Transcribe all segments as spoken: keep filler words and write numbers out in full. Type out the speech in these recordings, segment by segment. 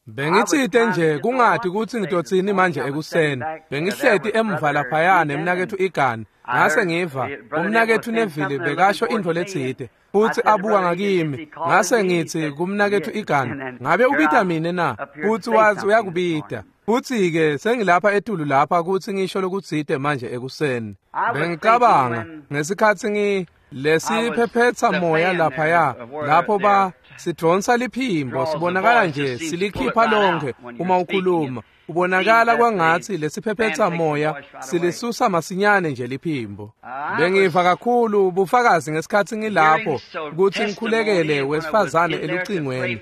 Bengitsite nje kungati kutsi ngitotsini manje ekuseni. Bengihleti emva laphaya nemnaketfu Egan. Ngase ngiva umnaketfu Neville bekasho intfo letsite futsi abuka ngakimi. Ngase ngitsi kumnaketfu Egan, ngabe ubita mine na? Futsi wazi uyakubita. Futsi-ke sengilapha etulu lapha kutsi ngisho lokutsite manje ekuseni. Bengicabanga ngesikhatsi ngi lesiphephetsa moya laphaya lapho ba sidvonsa liphimbo sibonakala nje silikhipha lonke uma ukhuluma. Ubonakala kwangatsi lesiphephetsa moya silisusa masinyane nje liphimbo. Bengiva kakhulu bufakazi ngesikhatsi ngilapho kutsi ngikhulekele wesifazane elucingweni.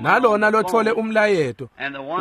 Nalona lothole umlayeto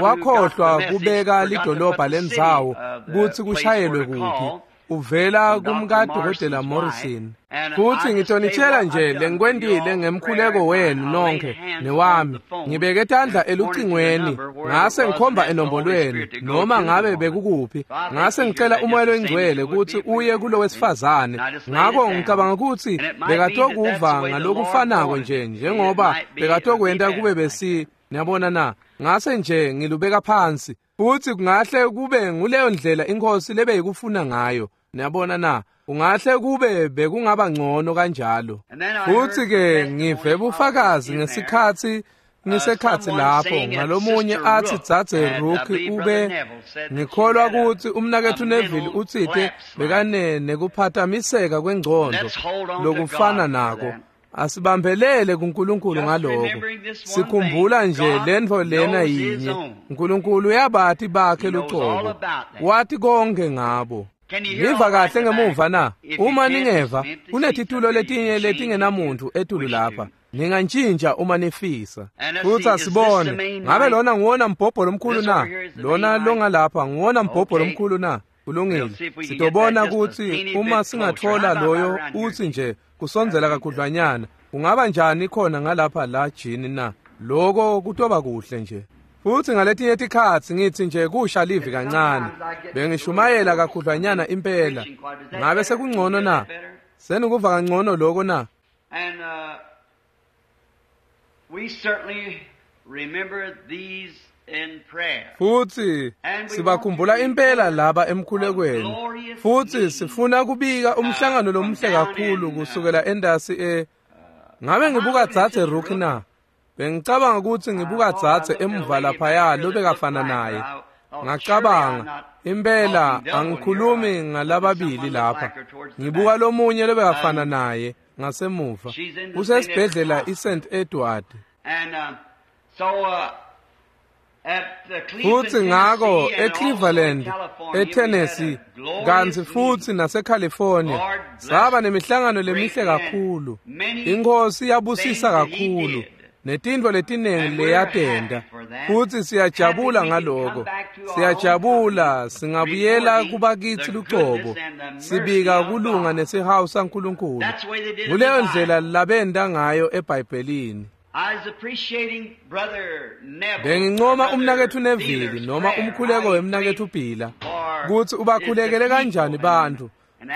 wakhohlwa kubeka lidolobha lendzawo kutsi kushayelwe kuphi. Uvela kumkadokotela Morrison. Futsi ngitonitshela nje lengikwentile ngemkhuleko wenu nonkhe newami. Ngibeke tandla elucingweni ngase ngikhomba enombolweni noma ngabe bekukuphi. Ngase ngicela umoya loyingcwele kutsi uye kulo wesifazane. Ngakho ngicabanga kutsi bekatokuva ngalokufanako nje njengoba bekatokwenta kube besi niyabona na. Ngase nje ngilubeka phansi. Futsi kungahle kube nguleyo ndlela inkosi lebeyikufuna ngayo. Niyabona na? Ungahle kube bekungaba ngcono kanjalo. Futsi ke ngive bufakazi ngesikhatsi ngisekhatsi lapho ngalomunye atsi dzadze Rook ube ngikholwa kutsi umnaketfu Neville utsite bekane nekuphatamiseka kwengcondo lokufana nako. Asibambelele kuNkulunkulu ngaloko. Sikhumbula nje lentfo lena yinye. uNkulunkulu uyabati bakhe lucobo. Wati konke ngabo. Niva kahle ngemuva na? Uma ningeva, kunetitulo letinye letingenamuntu etulu lapha. Ningantshintsha uma nifisa. Futsi asibone, ngabe lona nguwona mbhobho lomkhulu na? Lona longalapha nguwona mbhobho lomkhulu na? Kulungile. Sitobona kutsi uma singathola loyo utsi nje kusondzela kakhudlwanyana, kungaba njani khona ngalapha la jini na? Loko kutoba kuhle nje. Futsi ngaletinye tikhatsi ngitsi nje kusha livi kancane. Bengishumayela kakhudlwanyana impela. Ngabe sekungcono na? Senikuva kangcono loko na? And uh, we certainly remember these in prayer. Futsi sibakhumbula impela laba emkhulekweni. Futsi sifuna kubika umhlangano lomuhle kakhulu kusukela endasi e ngabe ngibuka dzadze Rook na? Bengicabanga kutsi ngibuka dzadze emuva laphaya lobekafana naye. Ngacabanga impela angikhulumi ngalababili lapha. Ngibuka lomunye lobekafana naye ngasemuva. Usesibhedlela iSaint Edward. And uh, so uh, Futsi ngako eCleveland, eTennessee, kantsi futsi naseCalifornia saba nemihlangano lemihle kakhulu. Inkosi yabusisa kakhulu netintfo letinengi leyatenta. Futsi siyajabula ngaloko. Siyajabula singabuyela kubakitsi lucobo. Sibika kulunga nesihawu saNkulunkulu. Nguleyo ndlela labenta ngayo eBhayibhelini. Bengincoma umnaketfu Neville noma umkhuleko wemnaketfu Bhila kutsi ubakhulekele kanjani bantfu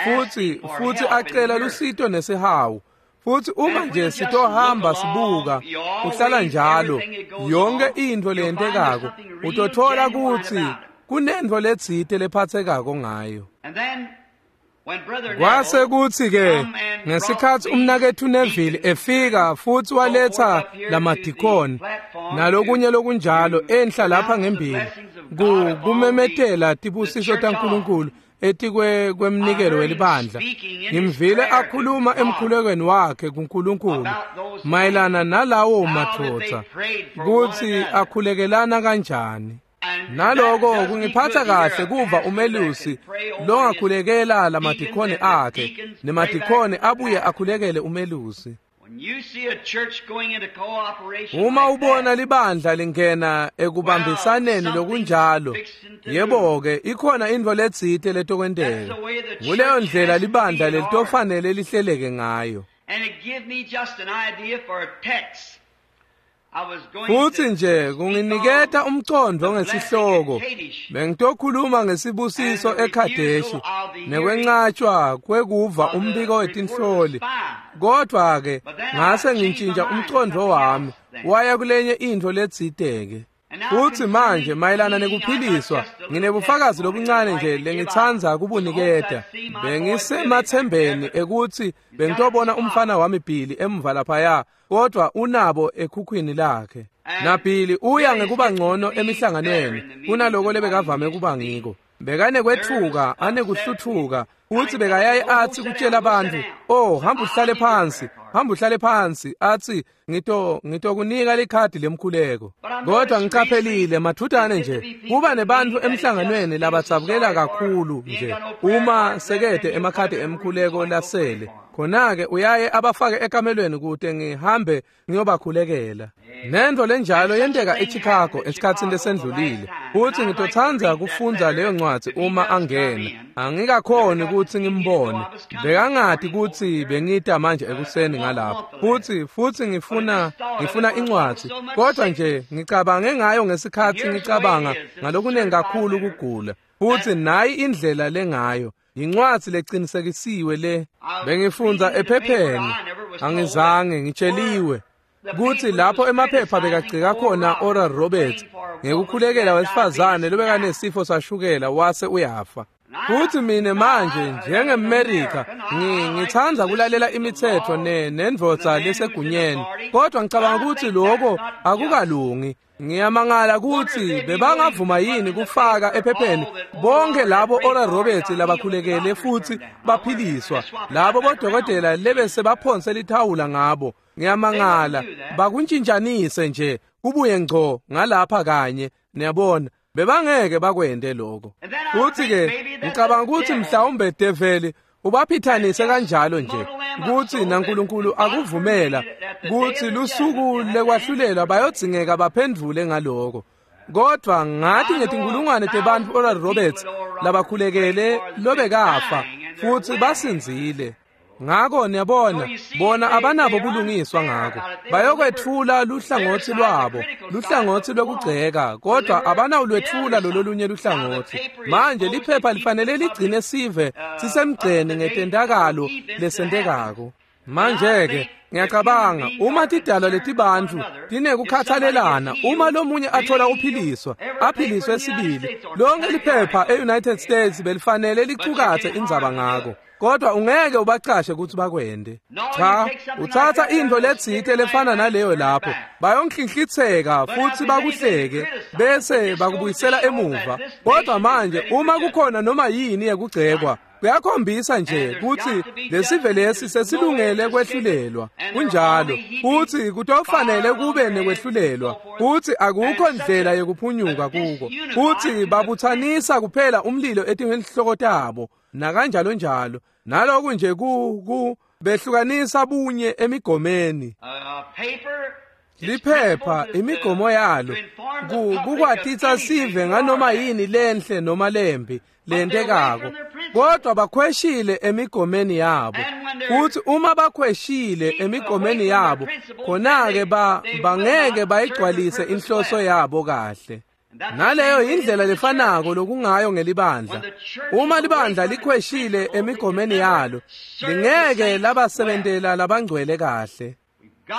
futsi futsi acela lusito nesihawu. Futsi uma nje sitohamba sibuka uhlala njalo yonke intfo leyentekako utothola kutsi kunentfo letsite lephatsekako ngayo. Kwase kutsi ke ngesikhatsi umnaketfu Neville efika futsi waletsa lamadikoni nalokunye lokunjalo enhla lapha ngembili kumemetela tibusiso taNkulunkulu etikwe kwemnikelo welibandla. Ngimvile akhuluma emkhulekweni wakhe kuNkulunkulu mayelana nalawo madvodza kutsi akhulekelana kanjani. Naloko kungiphatsa kahle kuva umelusi longakhulekela lamadikoni akhe nemadikoni abuye akhulekele umelusi. Uma ubona libandla lingena ekubambisaneni lokunjalo, yebo-ke ikhona intfo letsite letokwenteka. Nguleyo ndlela libandla lelitofanele lihleleke ngayo. Futsi nje kunginiketa umcondvo ngesihloko. Bengitokhuluma ngesibusiso eKhadeshi nekwencatshwa kwekuva umbiko wetinhloli. Kodwa-ke ngase ngintshintsha umcondvo wami waya kulenye intfo letsite-ke. Futsi manje mayelana nekuphiliswa, nginebufakazi lobuncane nje lengitsandza kubuniketa. Bengisemathembeni ekutsi bengitobona umfana wami Billy emva laphaya, kodvwa unabo ekhukhwini lakhe. NaBilly uya ngekuba ngcono emihlanganweni kunaloko lebekavame kuba ngiko. Bekanekwetfuka, anekuhlutfuka, futsi bekayaye atsi kutjela bantfu, "Oh, hamba uhlale phansi, hamba uhlale phansi," atsi, "Ngito ngitokunika likhadi lemkhuleko." Kodwa ngiqaphelile mathutane nje kuba nebantfu emhlanganweni labadzabukela kakhulu nje uma sekete emakhadi emkhuleko lasele. Khona-ke uyaye abafake ekamelweni kute ngihambe ngiyobakhulekela. Nento lenjalo yenteka eChicago esikhatsini lesendlulile. Futsi ngitotsandza kufundza leyo ncwadzi uma angena. Angikakhoni kutsi ngimbone. Bekangati kutsi bengita manje ekuseni ngalapho. Futsi futsi ngifuna ngifuna incwadzi. Kodwa nje ngicabange ngayo ngesikhatsi ngicabanga ngalokunengi kakhulu kugula. Futsi nayi indlela lengayo. Incwadzi lecinisekisiwe le bengifundza ephepheni, angizange ngitsheliwe kutsi lapho emaphepha bekagcika khona Oral Roberts ngekukhulekela wesifazane lobekanesifo sashukela wase uyafa. Futsi mine manje njengeMerika ngitsandza kulalela imitsetfo ne nendvodza lesegunyeni, kodwa ngicabanga kutsi lokho akukalungi. Ngiyamangala kutsi bebangavuma yini kufaka ephepheni bonke labo Oral Roberts labakhulekele futsi baphiliswa, labo bodokotela lebese baphonse lithawula ngabo. Ngiyamangala bakuntshintshanise nje kubuye ngco ngalapha kanye, niyabona. Bebangeke bakwente lokho. Futsi-ke ngicabanga kutsi mhlawumbe develi ubaphithanise kanjalo nje kutsi naNkulunkulu akuvumela kutsi lusuku lekwahlulelwa bayodzingeka baphendvule ngaloko. Kodwa ngathi ngetinkulungwane tebantfu Oral Roberts labakhulekele lobekafa futsi basindzile. Ngako niyabona, bona abanabo bulungiswa ngako. Bayokwetfula luhlangotsi lwabo, luhlangotsi lwekugceka, kodwa abanawulwetfula lololunye luhlangotsi. Manje liphepha lifanele ligcine sive sisemgceni ngetentakalo lesentekako. Manje-ke ngiyacabanga uma tidalwa letibantfu tinekukhathalelana, uma lomunye athola uphiliswa, aphiliswe sibili, lonke liphepha e-United States belifanele licukatse indzaba ngako. Kodwa ungeke ubacashe kutsi bakwente. Cha, utsatsa intfo letsite lefana naleyo lapho, bayonhlinhlitseka futsi bakuhleke bese bakubuyisela emuva. Kodwa manje uma kukhona noma yini yekugcekwa, kuyakhombisa nje kutsi lesive lesi sesilungele kwehlulelwa. Kunjalo, futsi kutofanele kube nekwehlulelwa, futsi akukho ndlela yekuphunyuka kuko. Futsi babutsanisa kuphela umlilo etinhloko tabo nakanjalo njalo. Naloku nje ku ku behlukanisa bunye emigomeni. Liphepha imigomo yalo kukwatisa sive nganoma yini lenhle noma lembi lentekako, kodwa bakhweshile emigomeni yabo. Futhi uma bakhweshile emigomeni yabo, khona-ke ba bangeke bayigcwalise inhloso yabo kahle. Naleyo indlela lefanako lokungayo ngelibandla. Uma libandla likhweshile emigomeni yalo, lingeke labasebentela labangcwele kahle.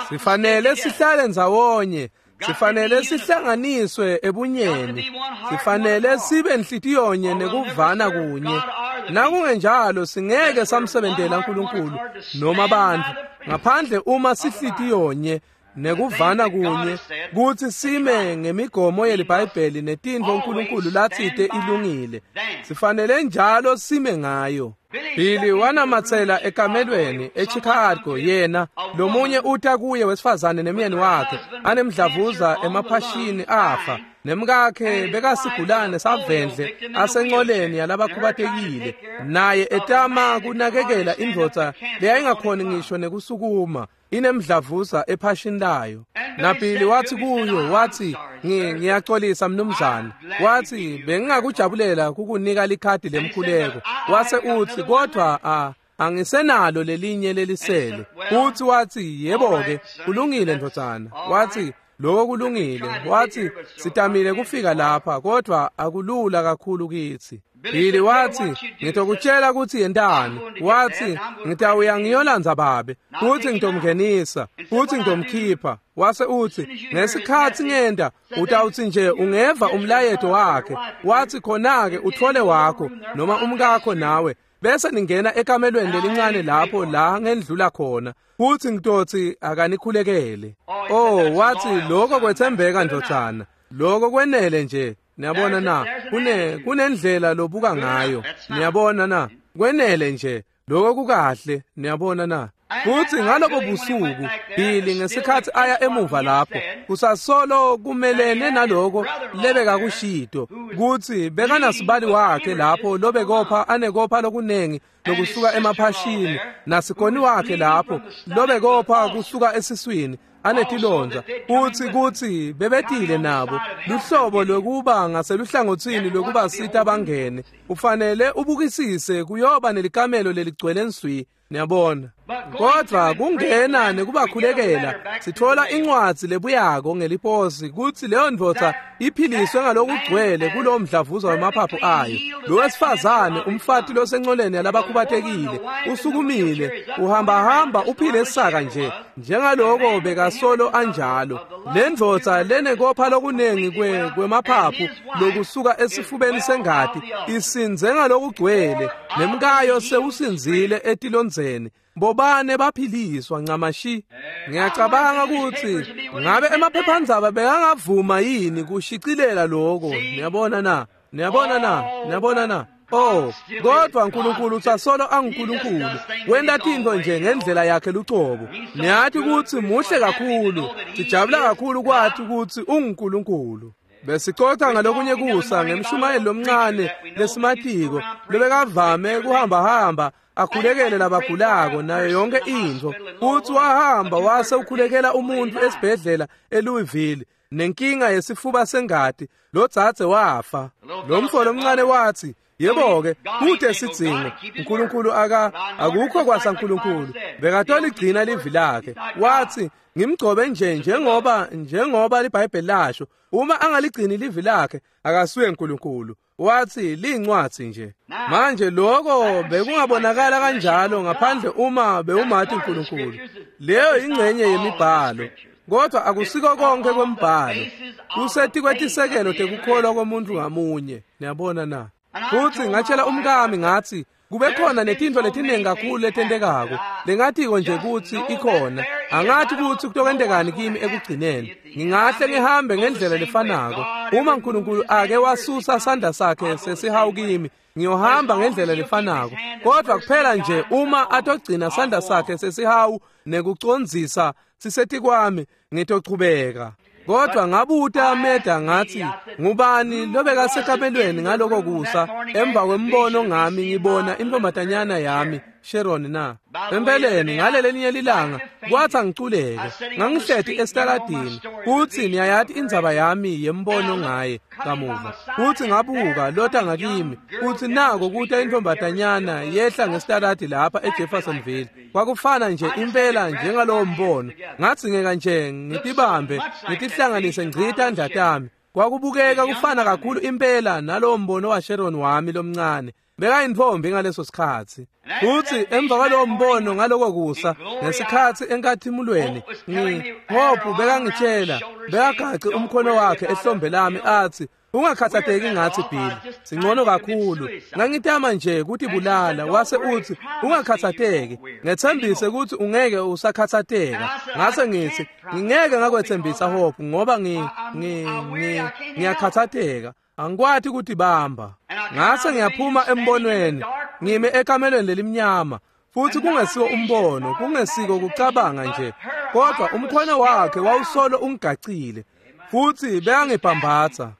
Sifanele sihlale ndzawonye, sifanele sihlanganiswe ebunyeni, sifanele sibe nhlityonye nekuvana kunye. Nakungenjalo singeke samsebentela uNkulunkulu noma abantu, ngaphandle uma sihlitiyonye nekuvana kunye, kutsi sime ngemigomo yeliBhayibheli netintfo uNkulunkulu latsite ilungile. Sifanele njalo sime ngayo. Billy wanamatsela ekamelweni eChicago, yena lomunye uta kuye wesifazane nemyeni wakhe anemdlavuza emaphashini afa, nemkakhe bekasigulane savendle asencoleni yalabakhubatekile, naye etama kunakekela indvodza leyayingakhoni ngisho nekusukuma inemdlavuza ephashini layo. NaBilly wathi kuyo, wathi, ngiyaxolisa mnumzane, wathi bengingakujabulela kukunika likhadi lemkhuleko. Wase uthi, kodwa a angisenalo lelinye lelisele. Uthi wathi, yebo-ke, kulungile ndvodzana. Wathi, lokho kulungile. Wathi, sitamile kufika lapha, kodwa akulula kakhulu kitsi. Billy watsi, ngitokutshela kutsi yentani. Watsi, ngitawuya ngiyolandza babe, futsi ngitomngenisa, futsi ngitomkhipha. Wase utsi, ngesikhatsi ngenta, utawutsi nje ungeva umlayeto wakhe. Watsi khona-ke utfole wakho noma umkakho nawe, bese ningena ekamelweni lelincane lapho la ngendlula khona, futsi ngitotsi akanikhulekele. Oh, watsi lokho kwetsembeka ndvodzana, lokho kwenele nje. Niyabona na, kune kunendlela lobuka ngayo. Niyabona na, kwenele nje, lokho kukahle. Niyabona na. Futsi ngalobo busuku Billy ngesikhatsi aya emuva lapho kusasolo kumelene naloko lebekakushito kutsi bekanasibali wakhe lapho lobekopha anekopha lokunengi lokusuka emaphashini, nasikoni wakhe lapho lobekopha kusuka esiswini anetilondza, futsi kutsi bebetile nabo luhlobo lwekuba ngaseluhlangotsini lwekubasita bangene. Ufanele ubukisise kuyoba nelikamelo leligcwele nswi. Niyabona. Kodvwa kungena nekubakhulekela sithola incwadzi lebuyako ngeliposi kutsi leyo ndvodza iphiliswe ngalokugcwele kulowo mdlavuza wemaphaphu ayo. Lo wesifazane, umfati losencoleni yalabakhubatekile, usukumile, uhambahamba uphile saka nje njengaloko bekasolo anjalo. Le ndvodza lenekopha lokunengi kwe kwemaphaphu lokusuka esifubeni sengati isinze ngalokugcwele, nemkayo sewusinzile etilondzeni. Bobane baphiliswa ncamashi. Ngiyacabanga kutsi ngabe emaphephandzaba bekangavuma yini kushicilela lokho. Niyabona na, niyabona na, niyabona na. Oh, kodwa uNkulunkulu usasolo anguNkulunkulu, wenta tintfo nje ngendlela yakhe lucobo. Niyati kutsi muhle kakhulu, sijabula kakhulu kwati kutsi unguNkulunkulu. Besicoca ngalokunye kusa ngemshumayeli lomncane lesimatiko lobekavame kuhambahamba akhulekele labagulako nayo yonke intfo. Futsi wahamba wase ukhulekela umuntu esibhedlela eLouisville nenkinga yesifuba sengati, lodzadze wafa. Lo mfo lomncane watsi, yebo-ke, kute sidzingo, uNkulunkulu aka akukho kwasaNkulunkulu, bekatoligcina livi lakhe. Watsi, ngimgcobe nje njengoba njengoba liBhayibheli lasho, uma angaligcini livi lakhe akasuye uNkulunkulu. Watsi liyincwadzi nje. Manje lokho bekungabonakala kanjalo ngaphandle uma bewumati uNkulunkulu. Leyo ingcenye yemibhalo, kodwa akusiko konke kwembhalo. Kusetikwetisekelo tekukholwa komuntu ngamunye. Niyabona na. Futsi ngatshela umkami ngatsi kube khona netintfo letiningi kakhulu letentekako lengatiko nje kutsi ikhona. Angathi kutsi kutokwentekani kimi ekugcineni. Ngingahle ngihambe ngendlela lefanako. Uma uNkulunkulu ake wasusa sandla sakhe sesihawu kimi, ngiyohamba ngendlela lefanako. Kodwa kuphela nje uma atogcina sandla sakhe sesihawu nekucondzisa sisetikwami, ngitochubeka. Kodwa ngabuta Meda ngathi, ngubani lobekasekamelweni ngaloko kusa emva kwembono ngami ngibona intombazanyana yami Sharon na? Empeleni ngalelelinye lilanga kwatsi angiculeke, ngangihleti esitaladini, futsi niyayati indzaba yami yembono ngaye kamuva. Futsi ngabuka lota ngakimi, futsi nako kuta intombazanyana yehla ngesitaladi lapha eJeffersonville. Kwakufana nje impela njengalowo mbono. Ngadzingeka nje ngitibambe ngitihlanganise ngci tandla tami. Kwakubukeka kufana kakhulu impela nalowo mbono waSharon wami lomncane. Bekayintfombi ngaleso sikhatsi. Futsi emva kwalowo mbono ngaloko kusa ngesikhatsi enkathimulweni, ngi Hope bekangitshela, bekagace umkhono wakhe ehlombe lami atsi, ungakhathateki ngatsi Billy, singcono kakhulu. Ngangitama nje kutibulala. Wase utsi, ungakhathateki, ngetsembise kutsi ungeke usakhathateka. Ngase ngitsi, ngingeke ngakwetsembisa Hope ngoba ngi ngi ngiyakhathateka, angikwati kutibamba. Ngase ngiyaphuma embonweni, ngime ekamelweni lelimnyama, futsi kungesiko umbono, kungesiko kucabanga nje, kodwa umkhono wakhe wawusolo ungigacile, futsi bekangibhambatsa.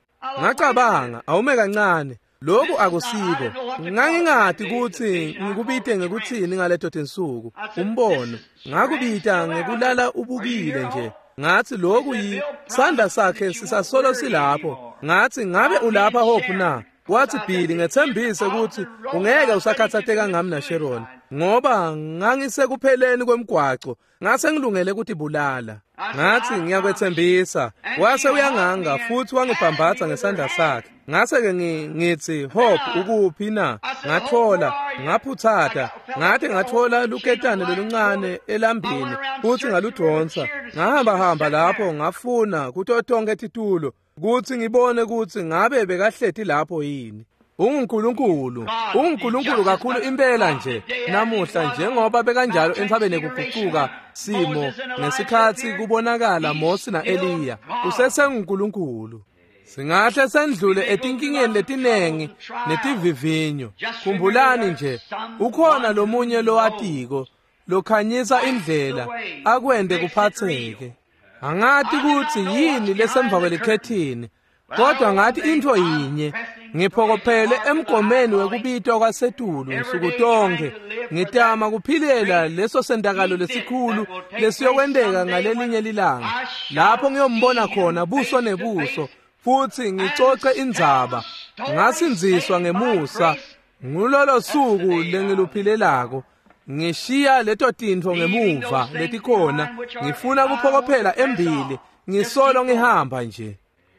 Ngacabanga, awume kancane, lokhu akusiko. Ngangingati kutsi ngikubite ngekuthini ngaleto tinsuku, umbono. Ngakubita ngekulala ubukile nje. Ngathi lokhu yi sandla sakhe sisasolo silapho. Ngathi ngabe ulapha Hope na? Wathi, Billy, ngethembise ukuthi ungeke usakhathatheka ngami naSharon, ngoba ngangisekupheleni kwemgwaco, ngase ngilungele ukutibulala. Ngathi, ngiyakwethembisa. Wase uyanganga futhi wangibhambatha ngesandla sakhe. Ngase-ke ngithi, Hope, ukuphi na? Ngathola, ngaphuthata, ngathi ngathola luketane loluncane elambini futhi ngaludonsa. Ngahamba-hamba lapho ngafuna kuto tonke titulo kuthi ngibone ukuthi ngabe bekahleti lapho yini. UnguNkulunkulu, unguNkulunkulu kakhulu impela nje namuhla njengoba bekanjalo entsabeni yekugucuka simo ngesikhathi kubonakala Mose na-Eliya. UsesenguNkulunkulu. Singahle sendlule etinkingeni letinengi netivivinyo. Khumbulani nje, ukhona lomunye lowatiko lokhanyisa indlela akwente kuphatheke. Angati ukuthi yini lesemva kwelikhethini, kodwa ngathi intfo yinye, ngiphokophele emgomeni wekubitwa kwasetulu nsuku tonke, ngitama kuphilela leso sentakalo lesikhulu lesiyokwenteka ngalelinye lilanga, lapho ngiyombona khona buso nebuso futhi ngicoce indzaba. Ngasindziswa ngemusa ngulolo suku lengiluphilelako. Ngishiya leto tintfo ngemuva letikhona, ngifuna kuphokophela embili, ngisolo ngihamba nje.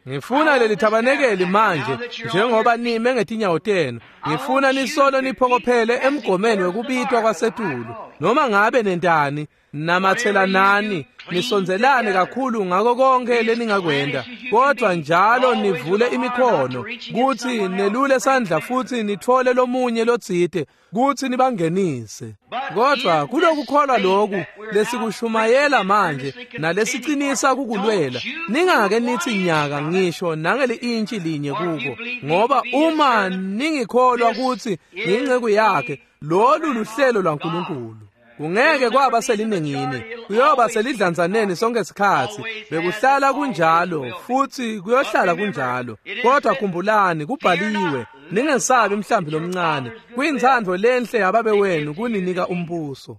Ngifuna leli thabanekeli manje njengoba nime ngetinyawo tenu. Ngifuna nisolo niphokophele emgomeni wekubitwa kwasetulu. Noma ngabe nentani, namathelanani, nisondzelane kakhulu ngako konke leningakwenda, kodwa njalo nivule imikhono kuthi nelule sandla futhi nithole lomunye lotsite kuthi nibangenise. Kodwa kulokukholwa loku lesikushumayela manje nalesiqinisa kukulwela, ningake nithi nyaka ngisho nangeli-intshi linye kuko, ngoba uma ningikholwa kuthi ngiyinceku yakhe, lolu luhlelo lwaNkulunkulu. Kungeke kwaba selinengini, kuyoba selidlanzaneni sonke isikhathi. Bekuhlala kunjalo futhi kuyohlala kunjalo. Kodwa khumbulani, kubhaliwe, ningesabi mhlambi lomncane, kuyintsandvo lenhle yababe wenu kuninika umbuso.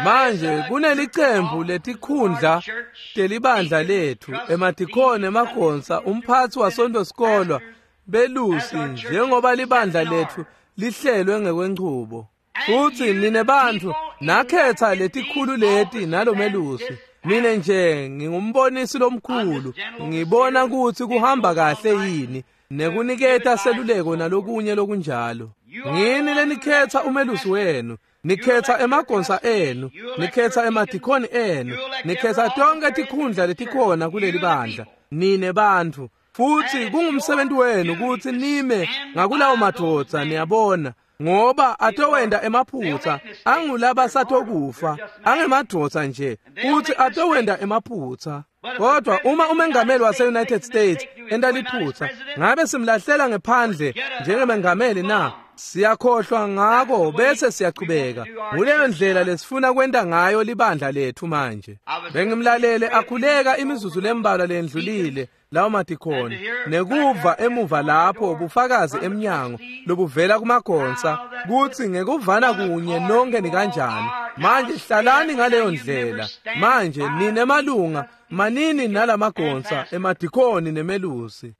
Manje kunelicembu letikhundla telibandla lethu, emadikoni, emagonsa, umphathi wasonto sikolwa, belusi, njengoba libandla lethu lihlelwe ngekwenchubo. Futhi nine bantfu nakhetha letikhulu leti nalomelusi. Mine nje ngingumbonisi lomkhulu, ngibona ukuthi kuhamba kahle yini nekuniketa seluleko nalokunye lokunjalo. Ngini lenikhetha umelusi wenu, nikhetha emagonsa enu, nikhetha emadikoni enu, nikhetha tonke tikhundla letikhona kuleli bandla. Nine bantfu, futhi kungumsebenzi wenu ukuthi nime ngakulawo madvodza, niyabona, ngoba atowenda emaphutsa, angulaba satokufa, angemadvodza nje, futhi atowenda emaphutsa. Kodwa uma umengameli wase-United States enta liphutsa, ngabe simlahlela ngephandle njengemengameli na? Siyakhohlwa ngako bese siyachubeka. Nguleyo ndlela lesifuna kwenta ngayo libandla lethu manje. Bengimlalele akhuleka imizuzu lembalwa lendlulile lawo madikhoni, nekuva emuva lapho bufakazi emnyango lobuvela kumagonsa kuthi ngekuvana kunye nonke nikanjani. Manje hlalani ngaleyo ndlela. Manje nine malunga manini nalamagonsa emadikoni nemelusi.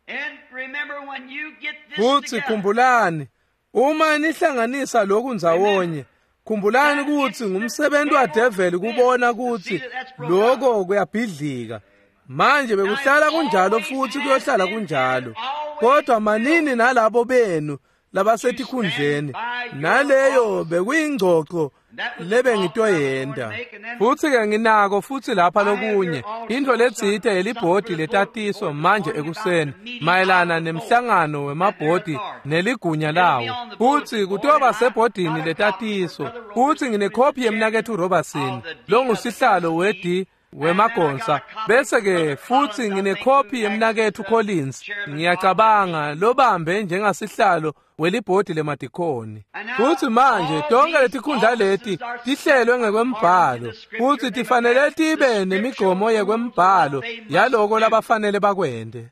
Futhi khumbulani, uma nihlanganisa lokhu ndzawonye, khumbulani ukuthi ngumsebenzi wadeveli kubona ukuthi lokho kuyabhidlika. Manje bekuhlala kunjalo futhi kuyohlala kunjalo. Kodwa manini nalabo benu labasetikhundleni, naleyo bekuyingcoco lebengitoyenda. Futhi-ke nginako futhi lapha lokunye, intfo letsite yelibhodi letatiso manje ekuseni mayelana nemhlangano wemabhodi neligunya lawo. Futhi kutoba sebhodini letatiso. Futhi nginekhophi yemnaketfu Robertson longusihlalo we-D wemagonsa, bese-ke futhi nginekhophi yemnaketfu Collins, ngiyacabanga lobambe njengasihlalo welibhodi lemadikhoni. Futhi manje tonke letikhundla leti tihlelwe ngekwembhalo, futhi tifanele tibe nemigomo yekwembhalo yaloko labafanele bakwente.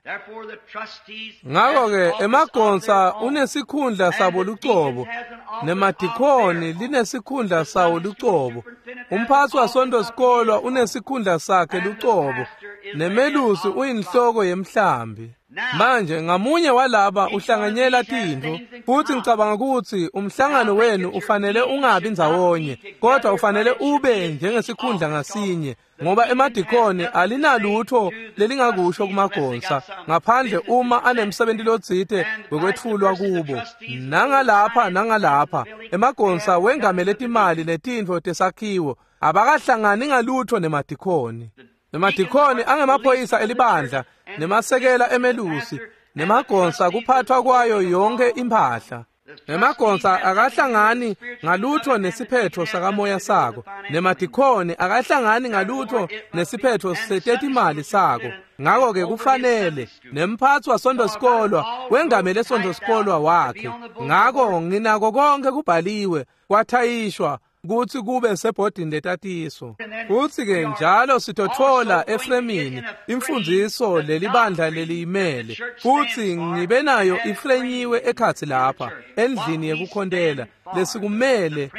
Ngako-ke emagonsa unesikhundla sabo lucobo, nemadikhoni linesikhundla sawo lucobo, umphathi wasonto sikolwa unesikhundla sakhe lucobo, Nemelusi uyinhloko yemhlambi. Manje ngamunye walaba uhlanganyela tintfo, futsi ngicabanga kutsi umhlangano wenu ufanele ungabi ndzawonye, kodwa ufanele ube njengesikhundla ngasinye, ngoba emadikoni alinalutho lelingakusho kumagonsa ngaphandle uma anemsebenti lotsite wekwetfulwa kubo. Nangalapha nangalapha emagonsa wengamele timali netintfo tesakhiwo abakahlangani ngalutho nemadikoni. Nemadikoni angemaphoyisa elibandla, nemasekela emelusi, nemagonsa kuphathwa kwayo yonke imphahla. Nemagonsa akahlangani ngalutho nesiphetho sakamoya sako, nemadikoni akahlangani ngalutho nesiphetho setetimali sako. Ngako-ke kufanele nemphatsi wasonto-sikolwa wengamele sonto-sikolwa wakhe. Ngako nginako konke kubhaliwe kwathayishwa kutsi kube sebhodini letatiso. Futsi-ke njalo sitotfola efremini imfundziso lelibandla leliyimele, futsi ngibe nayo ifrenyiwe ekhatsi lapha endlini yekukhontela lesikumele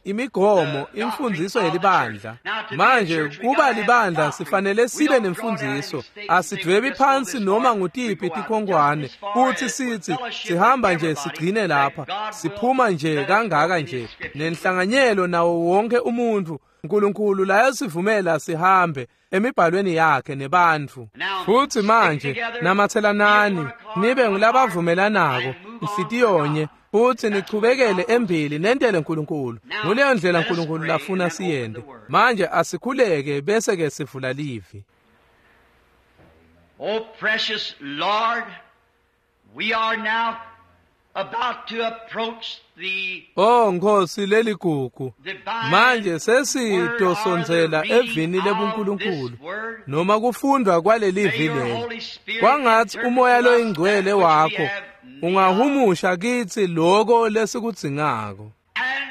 imigomo imfundziso yelibandla. Manje kuba libandla sifanele sibe nemfundziso, asidvwebi phansi noma ngutiphi tikhonkwane futsi sitsi sihamba nje sigcine lapha, siphuma nje kangaka nje nenhlanganyelo nawo wonke umuntfu. Nkulunkulu layasivumela sihambe emibhalweni yakhe nebantfu. Futsi manje namatselanani nibe ngulabavumelanako inhlitiyonye, futsi nichubekele embili nentele Nkulunkulu. Nguleyo ndlela Nkulunkulu lafuna siyente. Manje asikhuleke bese ke sivula livi. Oh precious Lord, we are now about to approach the Oh Nkosi leligugu, manje sesitosondzela evini lebuNkulunkulu noma kufundwa kwalelivi leli. Kwangatsi umoya loyingcwele wakho ungahumusha kitsi loko lesikudzingako.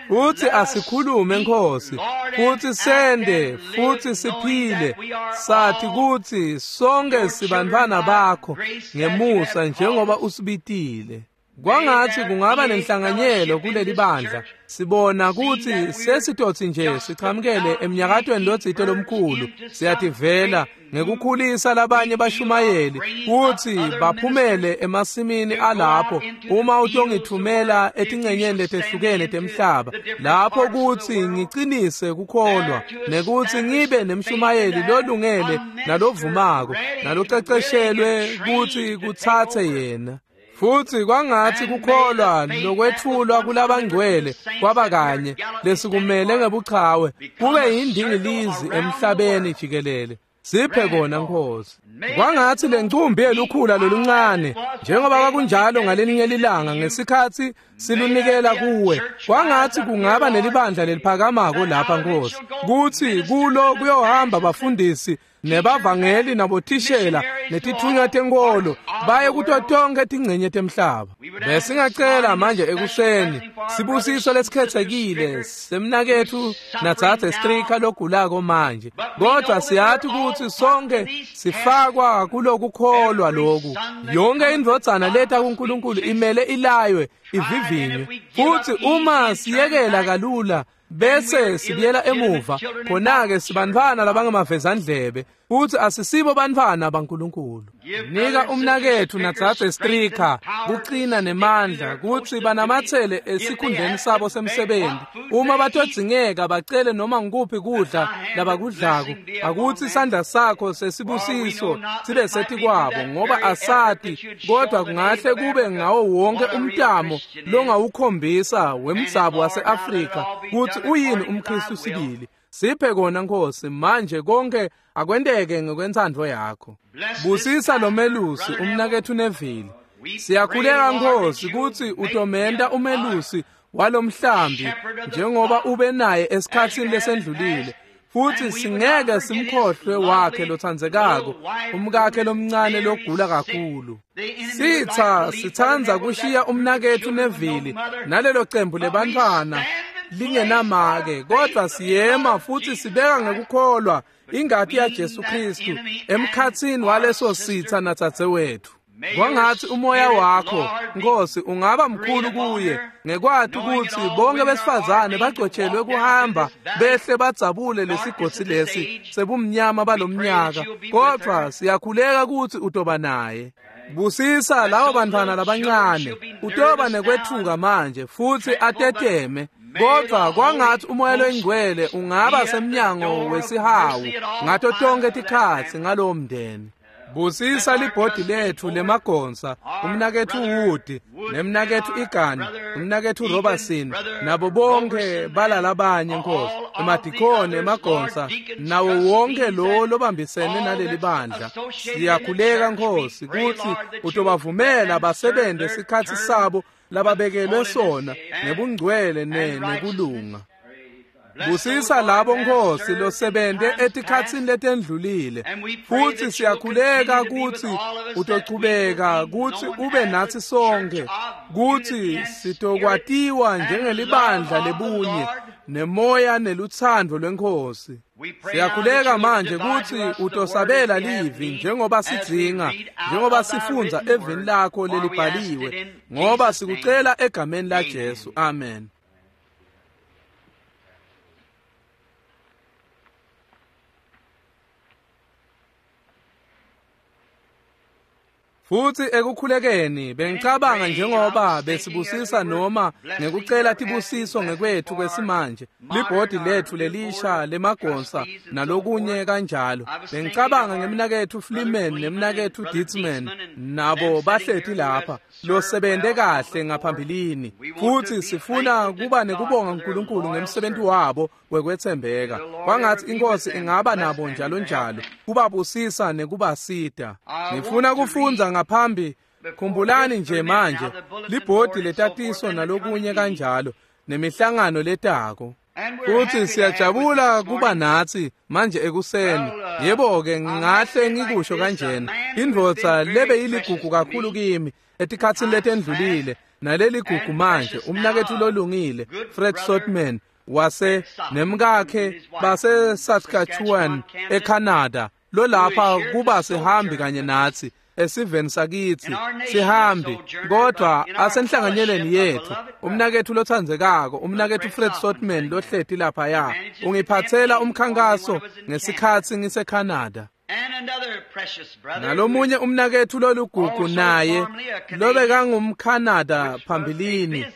Futsi asikhulume Nkosi, futsi sende, futsi siphile, sathi kutsi sonke sibantfwana bakho ngemusa njengoba usibitile. Kwangatsi kungaba nenhlanganyelo kuleli bandla. Sibona kutsi sesitotsi nje sichamukele emnyakatweni lotsite lomkhulu, siyativela ngekukhulisa labanye bashumayeli kutsi baphumele emasimini alapho uma utongithumela etincenyeni letehlukene temhlaba, lapho kutsi ngicinise kukholwa nekutsi ngibe nemshumayeli lolungele nalovumako naloceceshelwe kutsi kutsatse yena. Futsi kwangatsi kukholwa lokwetfulwa kulabangcwele kwaba kanye lesikumele ngebuchawe kube yindingilizi emhlabeni jikelele. Siphe kona Nkosi. Kwangatsi lencumbi yelukhula loluncane njengoba kwakunjalo ngalelinye lilanga ngesikhatsi silunikela kuwe, kwangatsi kungaba nelibandla leliphakamako lapha Nkosi, kutsi kulo kuyohamba bafundisi nebavangeli nabothishela netithunywa tenkolo baye kuto tonke tingcenye temhlaba. Besingacela manje ekuseni sibusiso lesikhethekile semnaketfu natsatse Strika logulako manje, kodwa siyathi kutsi sonke sifakwa kulokukholwa loku. Yonke indvodzana leta kuNkulunkulu imele ilaywe ivivinywe, futsi uma siyekela kalula bese sibuyela emuva, khona-ke sibantfwana labangemavezandlebe futsi asisibo bantfwana baNkulunkulu. Nika umnaketfu natsatse Strika kucina nemandla kutsi banamatsele esikhundleni sabo semsebenti. Uma batodzingeka bacele noma ngukuphi kudla labakudlako, akutsi isandla sakho sesibusiso sibe setikwabo, ngoba asati kodwa kungahle kube ngawo wonke umtamo longawukhombisa wemdzabu wase-Afrika kutsi uyini umKhristu sibili. Siphe kona Nkosi, manje konke akwenteke ngekwentsandvo yakho. Busisa lo melusi umnaketfu Neville. Siyakhuleka Nkosi kutsi utomenta umelusi walomhlambi njengoba ube naye esikhatsini lesendlulile, futsi singeke simkhohlwe wakhe lotsandzekako, umkakhe lomncane logula kakhulu. Sitsa sitsandza kushiya umnaketfu Neville nalelo cembu lebantfwana lingenamake, kodwa siyema futsi sibeka ngekukholwa ingati yaJesu Kristu emkhatsini waleso sitsa natsatse wethu. Kwangathi umoya wakho, Nkosi, ungaba mkhulu kuye ngekwati ukuthi bonke besifazane bagcotshelwe kuhamba behle badzabule lesigodzi lesi sebumnyama balomnyaka, kodwa siyakhuleka ukuthi utoba naye. Busisa labo bantwana labancane, utoba nekwethuka manje futhi ateteme, kodwa kwangathi umoya loyingcwele ungaba semnyango wesihawu ngato tonke tikhatsi ngalowo mndeni. Busisa libhodi lethu lemagonsa, umnakethu Wood, nemnakethu Egan, umnakethu Robertson, nabo bonke balalabanye Nkosi, emadikoni emagonsa, nawo wonke lo lobambisene naleli bandla. Siyakhuleka Nkosi kutsi utobavumela basebente sikhatsi sabo lababekelwe sona ngebungcwele ne nekulunga. Busisa labo Nkosi losebente etikhatsini letendlulile, futhi siyakhuleka kutsi utochubeka kutsi ube natsi sonke, kutsi sitokwatiwa njengelibandla lebunye nemoya nelutsandvo lweNkosi. Siyakhuleka manje kutsi utosabela livi njengoba sidzinga, njengoba sifundza evini lakho lelibhaliwe, ngoba sikucela egameni la Jesu. Amen. Futhi ekukhulekeni bengicabanga njengoba besibusisa noma ngekucela tibusiso ngekwethu kwesimanje, libhodi lethu lelisha lemagonsa nalokunye kanjalo. Bengicabanga ngemnakethu Fleeman nemnakethu Ditzman nabo bahleti lapha losebente kahle ngaphambilini, futhi sifuna kuba nekubonga uNkulunkulu ngemsebenzi wabo wekwethembeka. Kwangathi inkosi ingaba nabo njalo njalo, kubabusisa nekubasita. Ngifuna kufundza ngaphambi, khumbulani nje manje libhodi letatiso nalokunye kanjalo nemihlangano letako. Futhi siyajabula kuba natsi manje ekuseni. Yebo-ke ngingahle ngikusho kanjena, indvodza lebe yiligugu kakhulu kimi etikhatsini letendlulile naleli gugu manje, umnakethu lolungile Fred Sotman wase nemkakhe base Saskatchewan eCanada, lolapha kuba sihambi kanye natsi esiveni sakitsi sihambi, kodwa asenhlanganyeleni yethu. Umnakethu lothandzekako, umnakethu Fred Sotman lohleti laphaya, ungiphathela umkhankaso ngesikhatsi ngiseCanada. Nalomunye umnakethu lolugugu naye lobekangumCanada phambilini,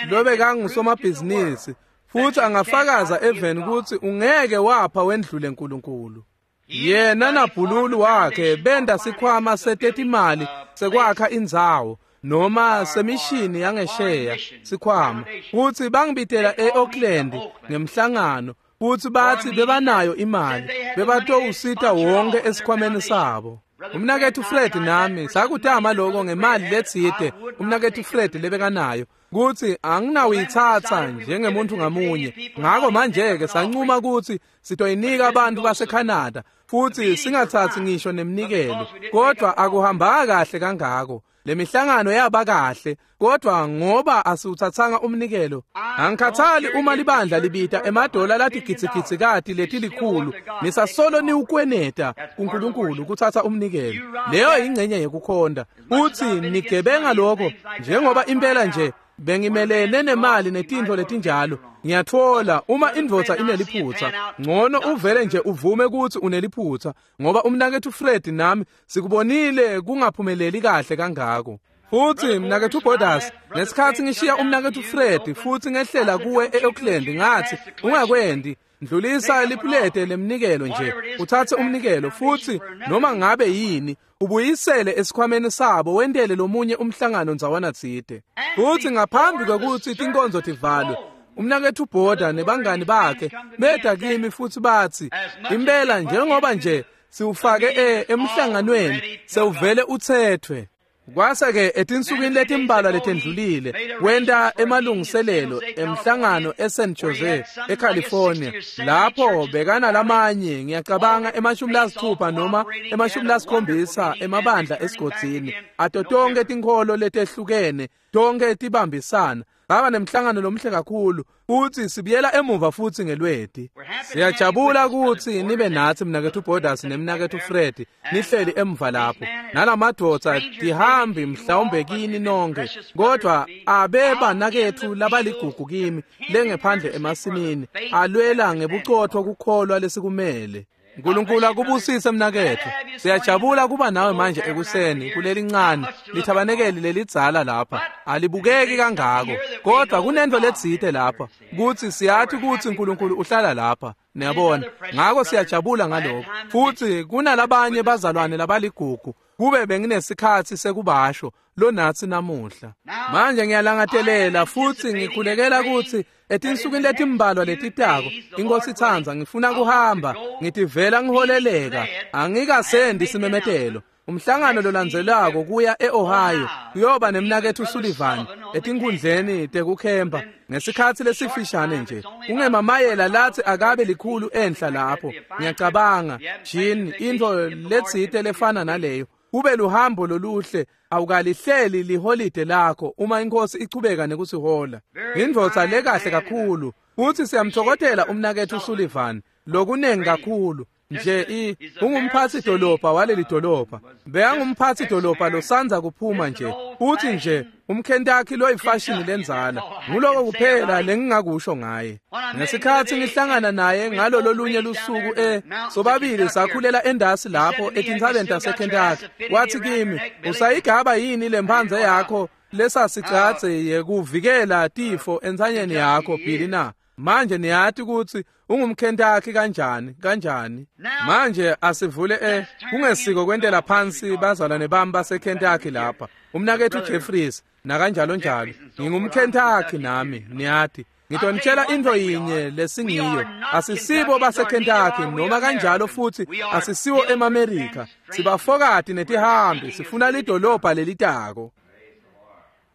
lobekangusomabhizinisi, futhi angafakaza eveni kutsi ungeke wapha wendlule uNkulunkulu. Yena nabhululu wakhe benda sikhwama setetimali sekwakha indzawo noma semishini yangesheya sikhwama, futhi bangibitela e-Oakland ngemhlangano, futhi bathi bebanayo imali bebatowusita wonke esikhwameni sabo. Umnakethu Fred nami sakutama lokho ngemali letsite umnakethu Fred lebekanayo, kutsi anginawuyitsatsa njengemuntu ngamunye. Ngako manje-ke sancuma kutsi sitoyinika abantu baseCanada futhi singathatsi ngisho nemnikelo, kodwa akuhambanga kahle kangako. Lemihlangano yaba kahle, kodwa ngoba asiwuthathanga umnikelo. Angikhathali uma libandla libita emadola latigidzigidzi letilikhulu, nisasolo niwukweneta kuNkulunkulu kuthatha umnikelo. Leyo ingcenye yekukhonda. Uthi nigebenga lokho njengoba impela nje bengimelene nemali netintfo letinjalo. Ngiyatfola uma indvodza ineliphutsa, ngcono uvele nje uvume kutsi uneliphutsa, ngoba umnakethu Fred nami sikubonile kungaphumeleli kahle kangako. Futhi mnakethu Borders, ngesikhatsi ngishiya umnakethu Fred futhi ngehlela kuwe e-Oakland, ngathi ungakwendi, ndlulisa lipulete lemnikelo nje, uthathe umnikelo futhi noma ngabe yini ubuyisele esikhwameni sabo, wentele lomunye umhlangano ndzawana tsite. Futhi ngaphambi kwekutsi tinkonzo tivalwe, umnakethu Border nebangani bakhe beta kimi futhi batsi impela njengoba nje siwufake emhlanganweni sewuvele uthethwe. Kwase-ke etinsukwini letimbalwa letendlulile wenta emalungiselelo emhlangano eSan Jose eCalifornia, lapho bekana lamanye ngiyacabanga emashumi lasithupha noma emashumi lasikhombisa emabandla esigodzini ato tonke tinkholo letehlukene, tonke tibambisana. Baba nemhlangano lomhle kakhulu futhi sibuyela emuva futhi ngelweti. Siyajabula ukuthi nibe nathi mnakethu Borders nemnakethu Fred nihleli emva lapho. Nalamadvodza tihambi mhlawumbe kini nonke, kodwa abeba nakethu labaligugu kimi lengephandle emasimini alwela ngebucotho kukholwa lesikumele. uNkulunkulu akubusise mnakethu. Siyajabula kuba nawe manje ekuseni kulelincane lithabanekeli lelidzala lapha. Alibukeki kangako, kodwa kunento letsite lapha kuthi siyathi ukuthi uNkulunkulu uhlala lapha. Niyabona, ngakho siyajabula ngalokho. Futhi kunalabanye bazalwane labaligugu kube benginesikhathi sekubasho lonathi namuhla. Manje ngiyalangatelela futhi ngikhulekela ukuthi etinsukwini letimbalwa letitako inkosi itsandza ngifuna kuhamba ngitivela ngiholeleka. Angikasendi simemetelo. Umhlangano lolandzelako kuya eOhio kuyoba nemnakethu Sullivan etinkundleni tekukhempa ngesikhathi lesifishane nje. Kungemamayela lathi akabe likhulu enhla lapho. Ngiyacabanga Jean into letsite lefana naleyo. Kube luhambo loluhle, awukalihleli liholide lakho uma inkosi ichubeka nekusihola. Indvodza lekahle kakhulu futhi siyamthokotela umnakethu Sullivan lokunengi kakhulu. Nje i ungumphathi dolobha waleli dolobha. Beyangumphathi dolobha losanza kuphuma nje. Uthi nje umKentucky loyifashion lenzala. Nguloko kuphela lengingakusho ngaye. Ngesikhathi ngihlangana naye ngalo lolunye lusuku e sobabili sakhulela endasi lapho etintsabeni taseKentucky. Wathi kimi, "Usayigaba yini lemphanze yakho lesasicatse yekuvikela tifo entsanyeni yakho Billy na?" Manje niyathi ukuthi ungumKentucky kanjani kanjani. Manje asivule eh kungesiko kwentela phansi bazalwane bami baseKentucky lapha. Umnakethu Jeffries nakanjalo njalo. NgingumKentucky nami niyathi. Ngitonitshela into yinye lesingiyo. Asisibo baseKentucky noma kanjalo futhi asisiwo emaMerika. Sibafokati netihambi sifuna lidolobha lelitako.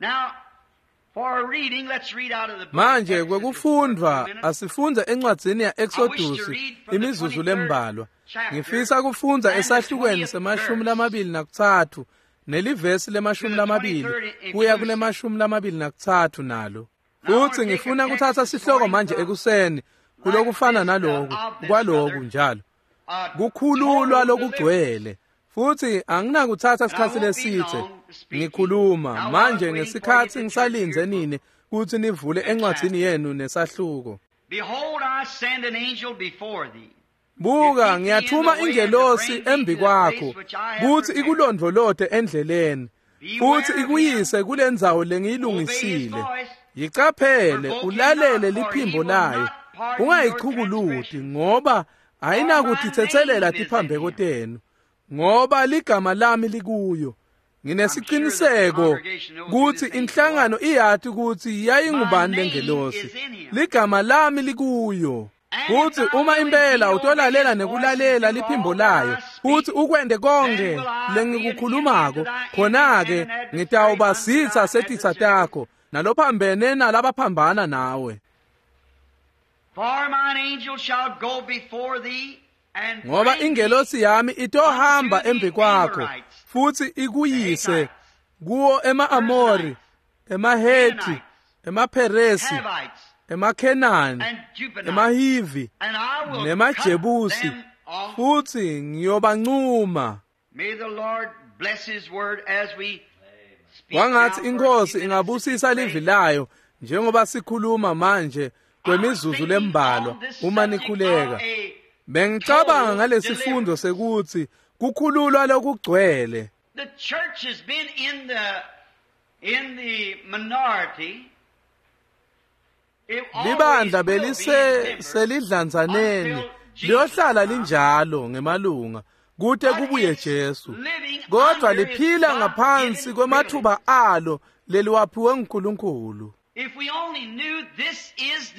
Now for reading, let's read out of the book. Manje kwekufundwa asifundze encwadzini ya Exodus imizuzu lembalwa. Ngifisa kufundza esahlukweni semashumi lamabili nakutsatfu nelivesi lemashumi lamabili kuya kulemashumi lamabili nakutsatfu nalo. Futhi ngifuna kuthatha sihloko manje ekuseni kulokufana naloku kwaloku njalo. Kukhululwa lokugcwele. Futhi anginakuthatha isikhathi lesithe ngikhuluma manje ngesikhathi ngisalindze nini kuthi nivule encwadzini yenu nesahluko. Behold, I send an angel before thee. Buka ngiyathuma ingelosi embi kwakho kuthi ikulondvolote endleleni futhi ikuyise kulendzawo lengiyilungisile. Yicaphele ulalele liphimbo layo, ungayichukuluti ngoba ayinakutitsetselela tiphambeko tenu, ngoba ligama lami likuyo. Nginesiqiniseko kuthi inhlangano iyathi ukuthi yayingubani lengelosi. Ligama lami likuyo. Kuthi uma impela utolalela nekulalela liphimbo layo futhi ukwende konke lengikukhulumako, khona-ke ngitawuba sitsa setitsa takho nalophambene nalabaphambana nawe. For mine angel shall go before thee and ngoba ingelosi yami itohamba embi kwakho futhi ikuyise kuwo ema-Amori, emaHethi, emaPheresi, emaKhenani, emaHivi nemaJebusi, futhi ngiyobancuma. May the Lord bless his word as we speak. Kwangathi inkosi ingabusisa livi layo njengoba sikhuluma manje kwemizuzu lembalwa uma nikhuleka. Bengicabanga ngalesifundo sekuthi kukhululwa lokugcwele. The church has been in the in the minority. Libandla belise selidlanzaneni liyohlala linjalo ngemalunga kute kubuye Jesu, kodwa liphila ngaphansi kwemathuba alo leliwaphiwe nguNkulunkulu.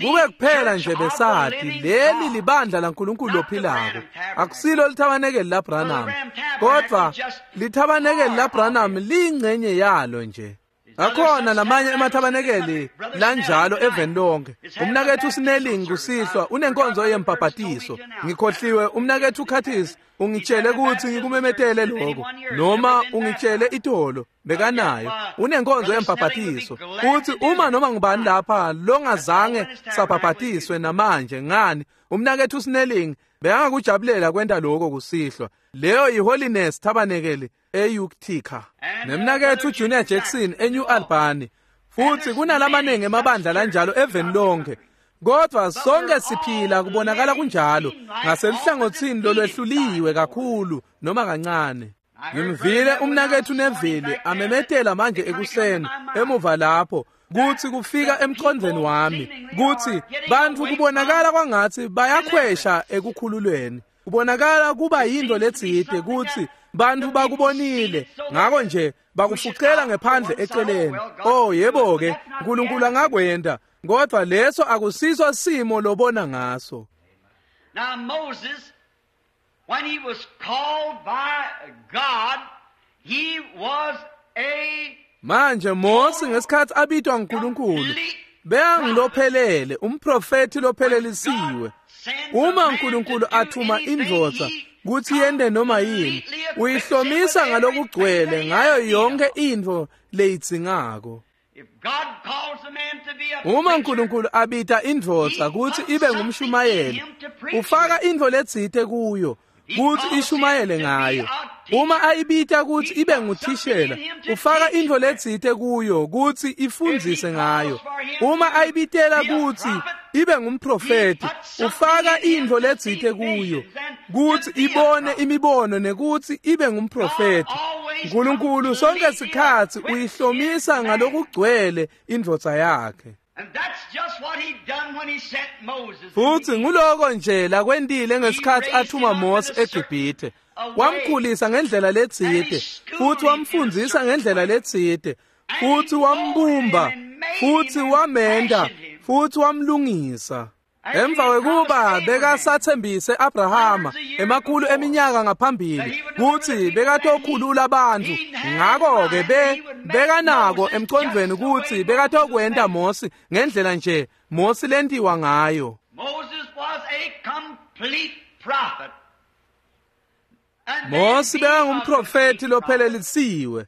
Kube kuphela nje besathi leli libandla laNkulunkulu lophilako, akusilo lithabanekeli laBranham, kodwa lithabanekeli laBranham liyingcenye yalo nje. Akhona lamanye emathabanekeli lanjalo eveni lonke. Umnakethu Snelling kusihlwa unenkonzo yembhabhatiso. Ngikhohliwe umnakethu Curtis ungitshele ukuthi ngikumemetele lokho, noma ungitshele itolo bekanayo unenkonzo yembhabhatiso. Uthi uma noma ngubani lapha longazange sabhabhatiswe namanje, ngani umnakethu Snelling bekangakujabulela kwenta lokho kusihlwa. Leyo yiHoliness Tabernacle eUtica. Nemnakethu Junior Jackson eNew Albany. Futhi kunalamaningi emabandla lanjalo eveni lonke. Kodwa sonke siphila kubonakala kunjalo ngaseluhlangothini lolwehluliwe kakhulu noma kancane. Ngimvile umnakethu Neville amemetela manje ekuseni emuva lapho kuthi kufika emqondweni wami kuthi bantu kubonakala kwangathi bayakhwesha ekukhululweni. Kubonakala kuba yinto letsite kuthi bantu bakubonile, ngakho nje bakufuqela ngephandle eceleni. Oh yebo ke, uNkulunkulu angakwenda, kodwa leso akusiso simo lobona ngaso. Now Moses, when he was called by God, he was a Manje Mose ngesikhathi abitwa nguNkulunkulu beyangilophelele, umprofeti lophelelisiwe. Uma uNkulunkulu athuma indvodza kuthi yende noma yini, uyihlomisa ngalokugcwele ngayo yonke intfo leyidzingako. Uma uNkulunkulu abita indvodza kuthi ibe ngumshumayeli, ufaka intfo letsite kuyo kuthi ishumayele ngayo. Uma ayibita kuthi ibe nguthishela, ufaka intfo letsite kuyo kuthi ifundzise ngayo. Uma ayibitela kuthi ibe ngumprofeti, ufaka intfo letsite kuyo kuthi ibone imibono nekuthi ibe ngumprofeti. uNkulunkulu sonke sikhathi uyihlomisa ngalokugcwele indvodza yakhe. Futhi nguloko nje lakwentile ngesikhathi athuma Mose eGibhithe. Wamkhulisa ngendlela letsite, futhi wamfundzisa ngendlela letsite, futhi wambumba, futhi wamenda, futhi wamlungisa. Emva kwekuba bekasathembise Abrahama emakhulu eminyaka ngaphambili kuthi bekatokhulula abantu, ngakho-ke be bekanako emqondweni ukuthi bekatokwenta Mose ngendlela nje Mose lentiwa ngayo. Moses was a complete prophet. Mose bekangumprofeti lophelelisiwe.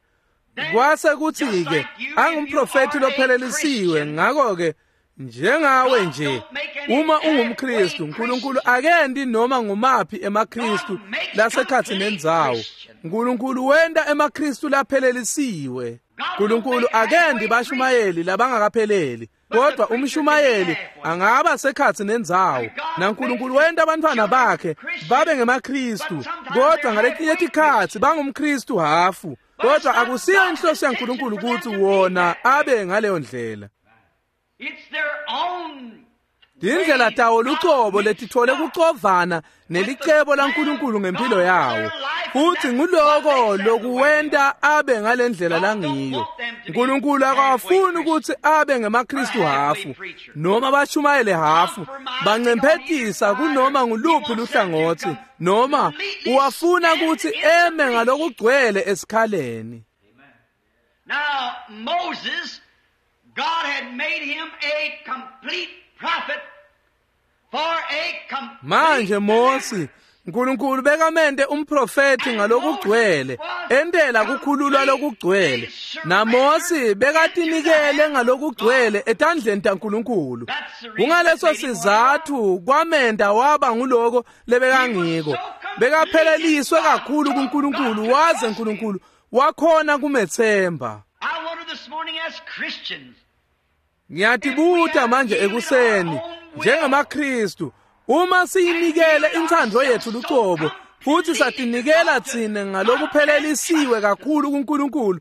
Kwase kuthi-ke angumprofeti lophelelisiwe, ngakho-ke njengawe nje uma ungumKristu, uNkulunkulu akendi noma ngumaphi emaKristu lasekhathi nendzawo. uNkulunkulu wenta emaKristu laphelelisiwe. uNkulunkulu akendi bashumayeli labangakapheleli, kodwa umshumayeli angaba sekhathi nendzawo. NaNkulunkulu wenta abantwana bakhe babe ngemaKristu, kodwa ngaletinye tikhatsi bangumKristu hafu. Kodwa akusiyo inhloso yaNkulunkulu ukuthi wona abe ngaleyo ndlela. Tindlela tawo lucobo letitfole kucovana nelicebo laNkulunkulu ngempilo yawo, futhi nguloko lokuwenta abe ngalendlela langiyo. uNkulunkulu akafuni ukuthi abe ngemaKristu hafu noma bashumayele hafu, bancemphetisa kunoma nguluphi luhlangothi, noma uwafuna ukuthi eme ngalokugcwele esikhaleni. Now Moses, God had made him a complete prophet for a complete Manje Mose, uNkulunkulu bekamente umprofeti ngalokugcwele, entela kukhululwa lokugcwele. NaMose bekatinikele ngalokugcwele etandleni taNkulunkulu. Kungaleso sizathu kwamenda waba nguloko lebekangiko. Bekapheleliswe kakhulu kuNkulunkulu waze uNkulunkulu wakhona kumethemba. I wonder this morning as Christians, Ngiyatibuta manje ekuseni njengamaKristu, uma siyinikele intsandvo yethu lucobo futhi satinikela tsine ngalokuphelelisiwe kakhulu kuNkulunkulu,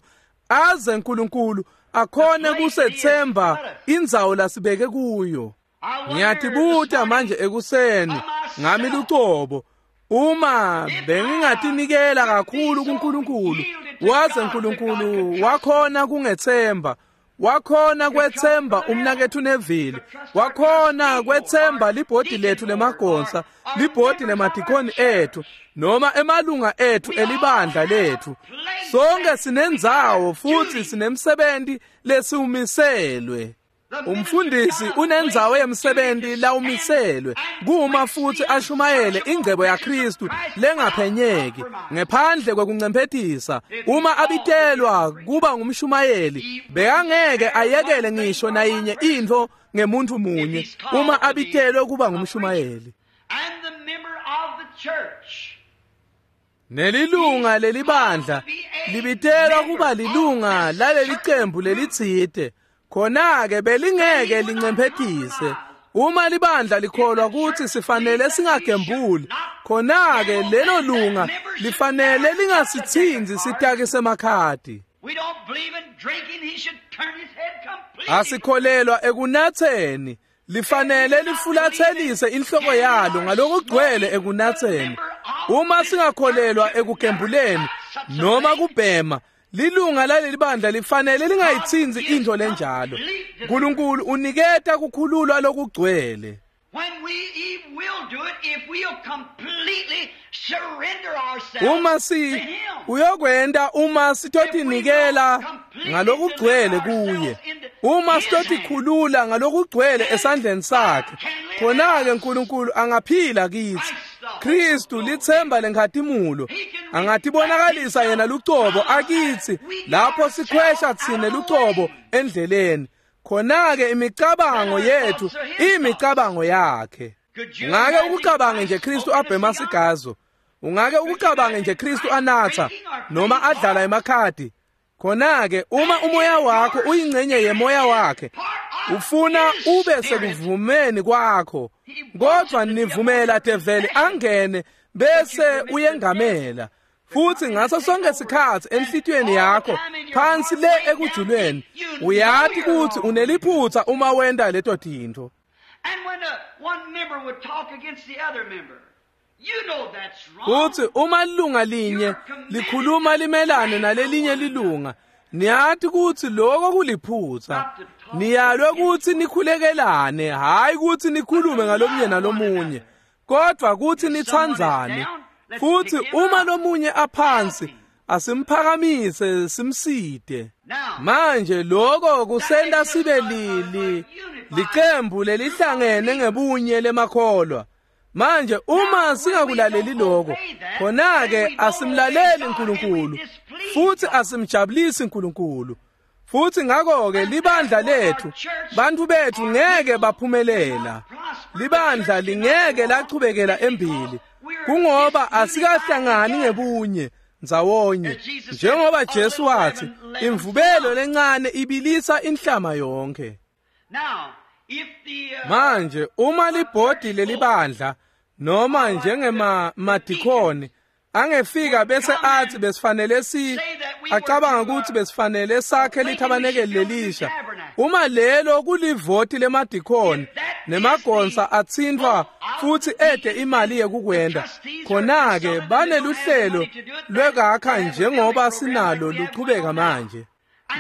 aze uNkulunkulu akhone kusethemba indzawo lasibeke kuyo. Ngiyatibuta manje ekuseni ngami lucobo, uma bengingatinikela kakhulu kuNkulunkulu waze uNkulunkulu wakhona kungethemba, Wakhona kwetsemba umnaketfu Neville, wakhona kwetsemba libhodi lethu lemagonsa, libhodi lemadikoni ethu, noma emalunga ethu elibandla lethu. Sonke sinendzawo futhi sinemsebenzi lesiwumiselwe. Umfundisi unendzawo yemsebenzi lawumiselwe kuma futhi ashumayele ingcebo yaKristu lengaphenyeki ngephandle kwekuncemphetisa. Uma abitelwa kuba ngumshumayeli, bekangeke ayekele ngisho nayinye intfo ngemuntu munye uma abitelwe kuba ngumshumayeli. Nelilunga lelibandla libitelwa kuba lilunga laleli cembu lelitsite, khona-ke belingeke lincemphetise. Uma libandla likholwa kutsi sifanele singagembuli, khona-ke lelo lunga lifanele lingasitsinzi sitaki semakhadi. Asikholelwa ekunatseni, lifanele lifulatselise inhloko yalo ngalokugcwele ekunatseni. Uma singakholelwa ekugembuleni noma kubhema, lilunga laleli bandla lifanele lingayitsinzi intfo lenjalo. Nkulunkulu uniketa kukhululwa lokugcwele. Uma si uyokwenta uma sitotinikela ngalokugcwele kuye, uma sitotikhulula ngalokugcwele esandleni sakhe, khona-ke Nkulunkulu angaphila kitsi. Kristu litsemba lenkhatimulo angatibonakalisa yena lucobo akitsi lapho sikhwesha tsine lucobo endleleni. Khona-ke imicabango yethu imicabango yakhe. Ungake ukucabange nje Kristu abhema sigazo, ungake ukucabange nje Kristu anatha noma adlala emakhadi. Khona-ke uma umoya wakho uyingcenye yemoya wakhe, ufuna ube sekuvumeni kwakho, kodwa nivumela develi angene bese uyengamela. Futhi ngaso sonke sikhathi enhlitiyweni yakho phansi le ekujulweni uyati kutsi uneliphutha uma wenta leto tintfo. Kutsi uma lilunga linye likhuluma limelane nalelinye lilunga, niyati kutsi lokho kuliphutha. Niyalwe kutsi nikhulekelane, hhayi kutsi nikhulume ngalomunye nalomunye, kodwa kutsi nitsandzane. Futhi uma lomunye aphansi, asimphakamise simside. Manje lokho kusenta sibe lili licembu lelihlangene ngebunye lemakholwa. Manje uma singakulaleli lokho, khona-ke asimlaleli Nkulunkulu futhi asimjabulisi Nkulunkulu. Futhi ngakho-ke libandla lethu, bantu bethu ngeke baphumelela. Libandla lingeke lachubekela embili kungoba asikahlangani ngebunye ndzawonye. Njengoba Jesu wathi, imvubelo lencane ibilisa inhlama yonke. Manje uma libhodi lelibandla noma njengema madikoni angefika bese athi besifanele si acabanga ukuthi besifanele sakhe lithabanekeli lelisha, uma lelo kulivoti lemadikoni nemagonsa atsintfwa futhi ede imali yekukwenda, khona-ke baneluhlelo lwekakha njengoba sinalo luchubeka manje,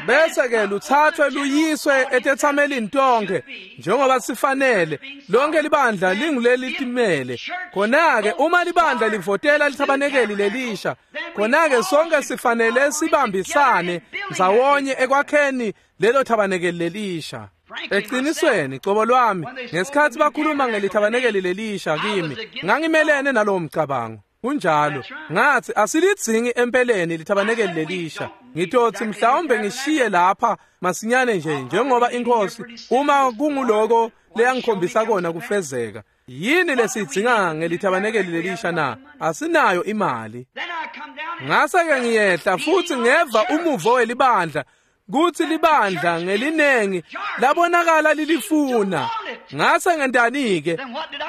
bese-ke luthathwe luyiswe etethamelini tonke njengoba sifanele. Lonke libandla linguleli timele. Khona-ke uma libandla livotela lithabanekeli lelisha, khona-ke sonke sifanele sibambisane ndzawonye ekwakheni lelo thabanekeli lelisha. Eqinisweni cobo lwami, ngesikhathi bakhuluma ngelithabanekeli lelisha kimi, ngangimelene nalowo mcabango. Kunjalo, ngathi asilidzingi empeleni lithabanekeli lelisha. Ngitotsi mhlawumbe ngishiye lapha masinyane nje njengoba inkosi uma kunguloko leyangikhombisa kona kufezeka. Yini lesidzinga ngelithabanekeli lelisha na? Asinayo imali. Ngase-ke ngiyehla futhi ngeva umuvo welibandla kutsi libandla ngelinengi labonakala lilifuna. Ngase ngentani-ke?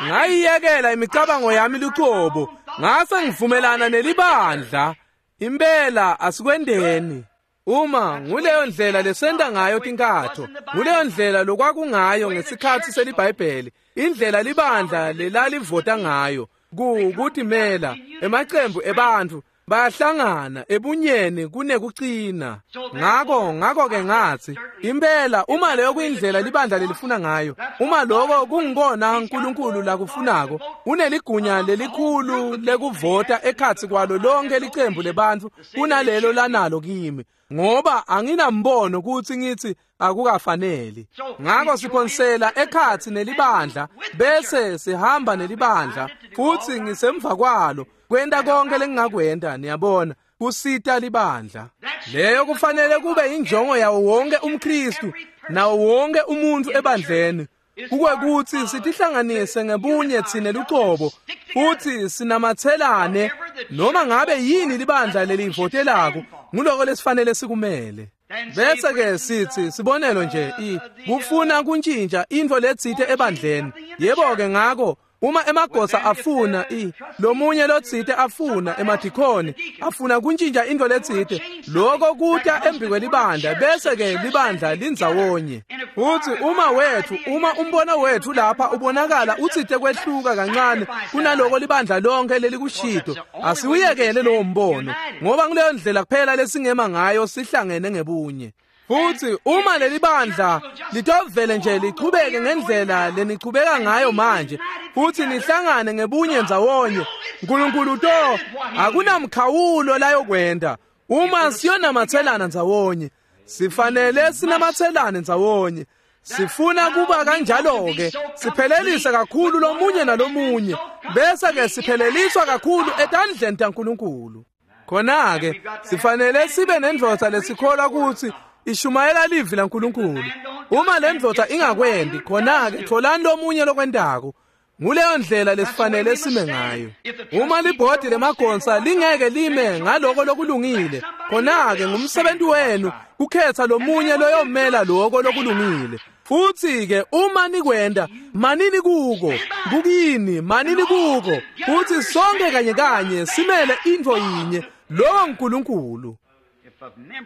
Ngayiyekela imicabango yami lucobo, ngase ngivumelana nelibandla. Impela asikwendeni. Uma nguleyo ndlela lesenta ngayo tinkatho, nguleyo ndlela lokwakungayo ngesikhathi seliBhayibheli, indlela libandla lelalivota ngayo, kukutimela emacembu ebantfu Bahlangana ebunyeni kunekucina. Ngako ngako-ke ngatsi impela uma leyo kuyindlela libandla lelifuna ngayo, uma loko kungikona uNkulunkulu lakufunako, uneligunya lelikhulu lekuvota ekhatsi kwalo lonke licembu lebantfu kunalelo lanalo kimi, ngoba anginambono kutsi ngitsi akukafaneli. Ngako siphonsela ekhatsi nelibandla bese sihamba nelibandla futsi ngisemva kwalo kwenta konke lengingakwenta, niyabona, kusita libandla. Leyo kufanele kube injongo yawo wonke umKristu nawo wonke umuntu ebandleni, kukwekutsi sitihlanganise ngebunye tsine lucobo futsi sinamatselane noma ngabe yini libandla lelivotelako, nguloko lesifanele sikumele. Bese-ke sitsi sibonelo nje i kufuna kuntjintja intfo letsite ebandleni. Yebo-ke ngako uma emagosa afuna i lomunye lotsite afuna emadikhoni afuna kuntjintja intfo letsite, loko kuta embi kwelibandla bese-ke libandla lindzawonye. Futsi uma wetfu uma umbono wetfu lapha ubonakala utsite kwehluka kancane kunaloko libandla lonke lelikushito, asiwuyekele lowo mbono, ngoba nguleyo ndlela kuphela lesingema ngayo sihlangene ngebunye. Futsi uma leli bandla litovele nje lichubeke ngendlela lenichubeka ngayo manje futsi nihlangane ngebunye ndzawonye, uNkulunkulu to akunamkhawulo layokwenta uma siyonamatselana ndzawonye. Sifanele sinamatselane ndzawonye. Sifuna kuba kanjalo-ke siphelelise kakhulu lomunye nalomunye bese-ke sipheleliswa kakhulu etandleni taNkulunkulu. Khona-ke sifanele sibe nendvodza lesikholwa kutsi ishumayela livi laNkulunkulu. Uma le ndvodza ingakwendi, khona-ke tholani lomunye lokwentako. Nguleyo ndlela lesifanele sime ngayo. Uma libhodi lemagonsa lingeke lime ngaloko lokulungile, khona-ke ngumsebenzi wenu kukhetha lomunye loyomela loko lokulungile. Futsi-ke uma nikwenta, manini kuko, kukini, manini kuko, futsi sonke kanye kanye simele intfo yinye, lowo nguNkulunkulu.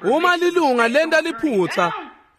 Uma lilunga lenta liphutsa,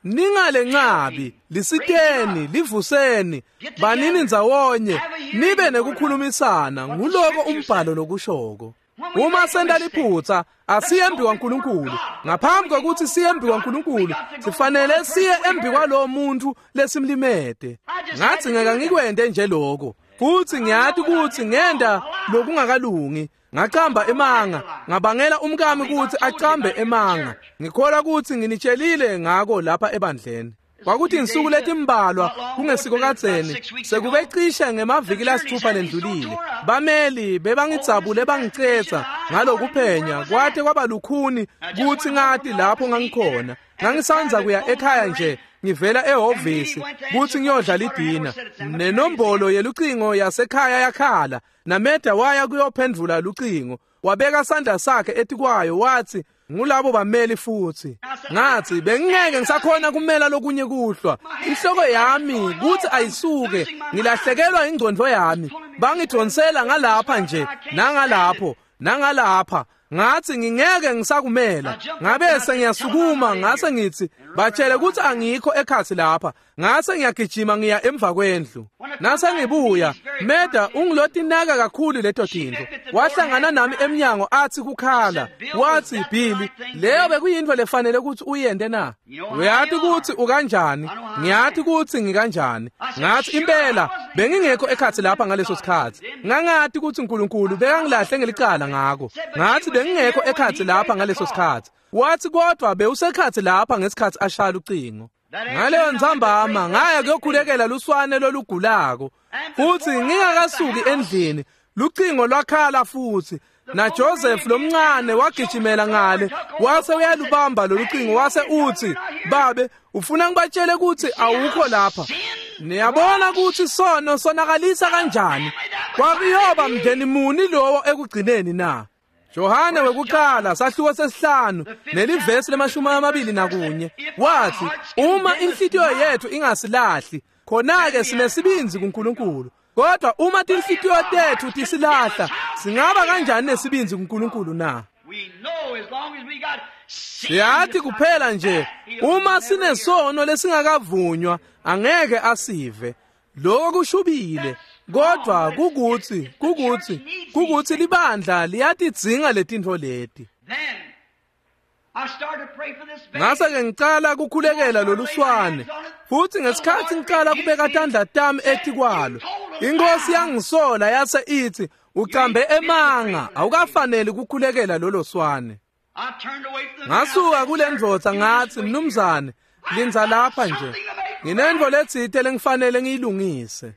ningalencabi, lisiteni, livuseni, banini ndzawonye, nibe nekukhulumisana, nguloko umbhalo lokushoko. Uma senta liphutsa, asiye embi kwaNkulunkulu. Ngaphambi kwekutsi siye embi kwaNkulunkulu, sifanele siye embi kwalowo muntfu lesimlimete. Ngatsi ngeke ngikwente nje loko, futsi ngiyati kutsi ngenta lokungakalungi. Ngacamba emanga, ngabangela umkami kutsi acambe emanga. Ngikholwa kutsi nginitshelile ngako lapha ebandleni. Kwakuthi insuku letimbalwa kungesiko kadzeni, sekube cishe ngemaviki lasithupha lendlulile, bameli bebangidzabule bangicetsa ngalokuphenya kwate kwaba lukhuni kutsi ngati lapho ngangikhona. Ngangisandza kuya ekhaya nje ngivela ehhovisi kutsi ngiyodla lidina. Nenombolo yelucingo yasekhaya yakhala, naMeda waya kuyophendvula lucingo. Wabeka sandla sakhe etikwayo watsi, ngulabo bameli futsi. Ngatsi bengingeke ngisakhona kumela lokunye kuhlwa. Inhloko yami kutsi ayisuke, ngilahlekelwa ingcondvo yami. Bangidonsela ngalapha nje, nangalapho, nangalapha. Ngatsi ngingeke ngisakumela. Ngabe sengiyasukuma ngase ngitsi batshele kutsi angikho ekhatsi lapha. Ngase ngiyagijima ngiya emva kwendlu. Nase ngibuya, Meda ungilotinaka kakhulu leto tintfo. Wahlangana nami emnyango atsi kukhala. Watsi, Billy, leyo bekuyintfo lefanele kutsi uyente na? Uyati kutsi ukanjani? Ngiyati kutsi ngikanjani. Ngatsi impela bengingekho ekhatsi lapha ngaleso sikhatsi. Ngangati kutsi uNkulunkulu bekangilahle ngelicala ngako. Ngatsi bengingekho ekhatsi lapha ngaleso sikhatsi. Watsi kodwa bewusekhatsi lapha ngesikhatsi ashaya lucingo. Ngaleyo ntsambama ngaya kuyokhulekela luswane lolugulako, futsi ngingakasuki endlini lucingo lwakhala futsi. Na Joseph lomncane wagijimela ngale wase uyalubamba lolucingo wase utsi, babe ufuna ngibatshele kutsi awukho lapha. Niyabona kutsi sono sonakalisa kanjani? Kwakuyoba mndeni muni lowo ekugcineni na? Johane wekuqala sahluko sesihlanu nelivesi lemashumi amabili nakunye wathi, uma inhlitiyo yethu ingasilahli, khona-ke sinesibindzi kuNkulunkulu. Kodwa uma tinhlitiyo tethu tisilahla, singaba kanjani nesibindzi kuNkulunkulu na? Siyathi kuphela nje uma sinesono lesingakavunywa angeke asive. Lokho kushubile, Kodwa kukuthi kukuthi kukuthi libandla liyatidzinga letintfo leti. Ngase ke ngicala kukhulekela loluswane, futhi ngesikhathi ngicala kubeka tandla tami etikwalo, inkosi yangisola yase ithi, ucambe emanga, awukafaneli ukukhulekela lolo swane. Ngasuka kule ndvodza ngathi, mnumzane, lindza lapha nje, nginentfo letsite lengifanele ngiyilungise.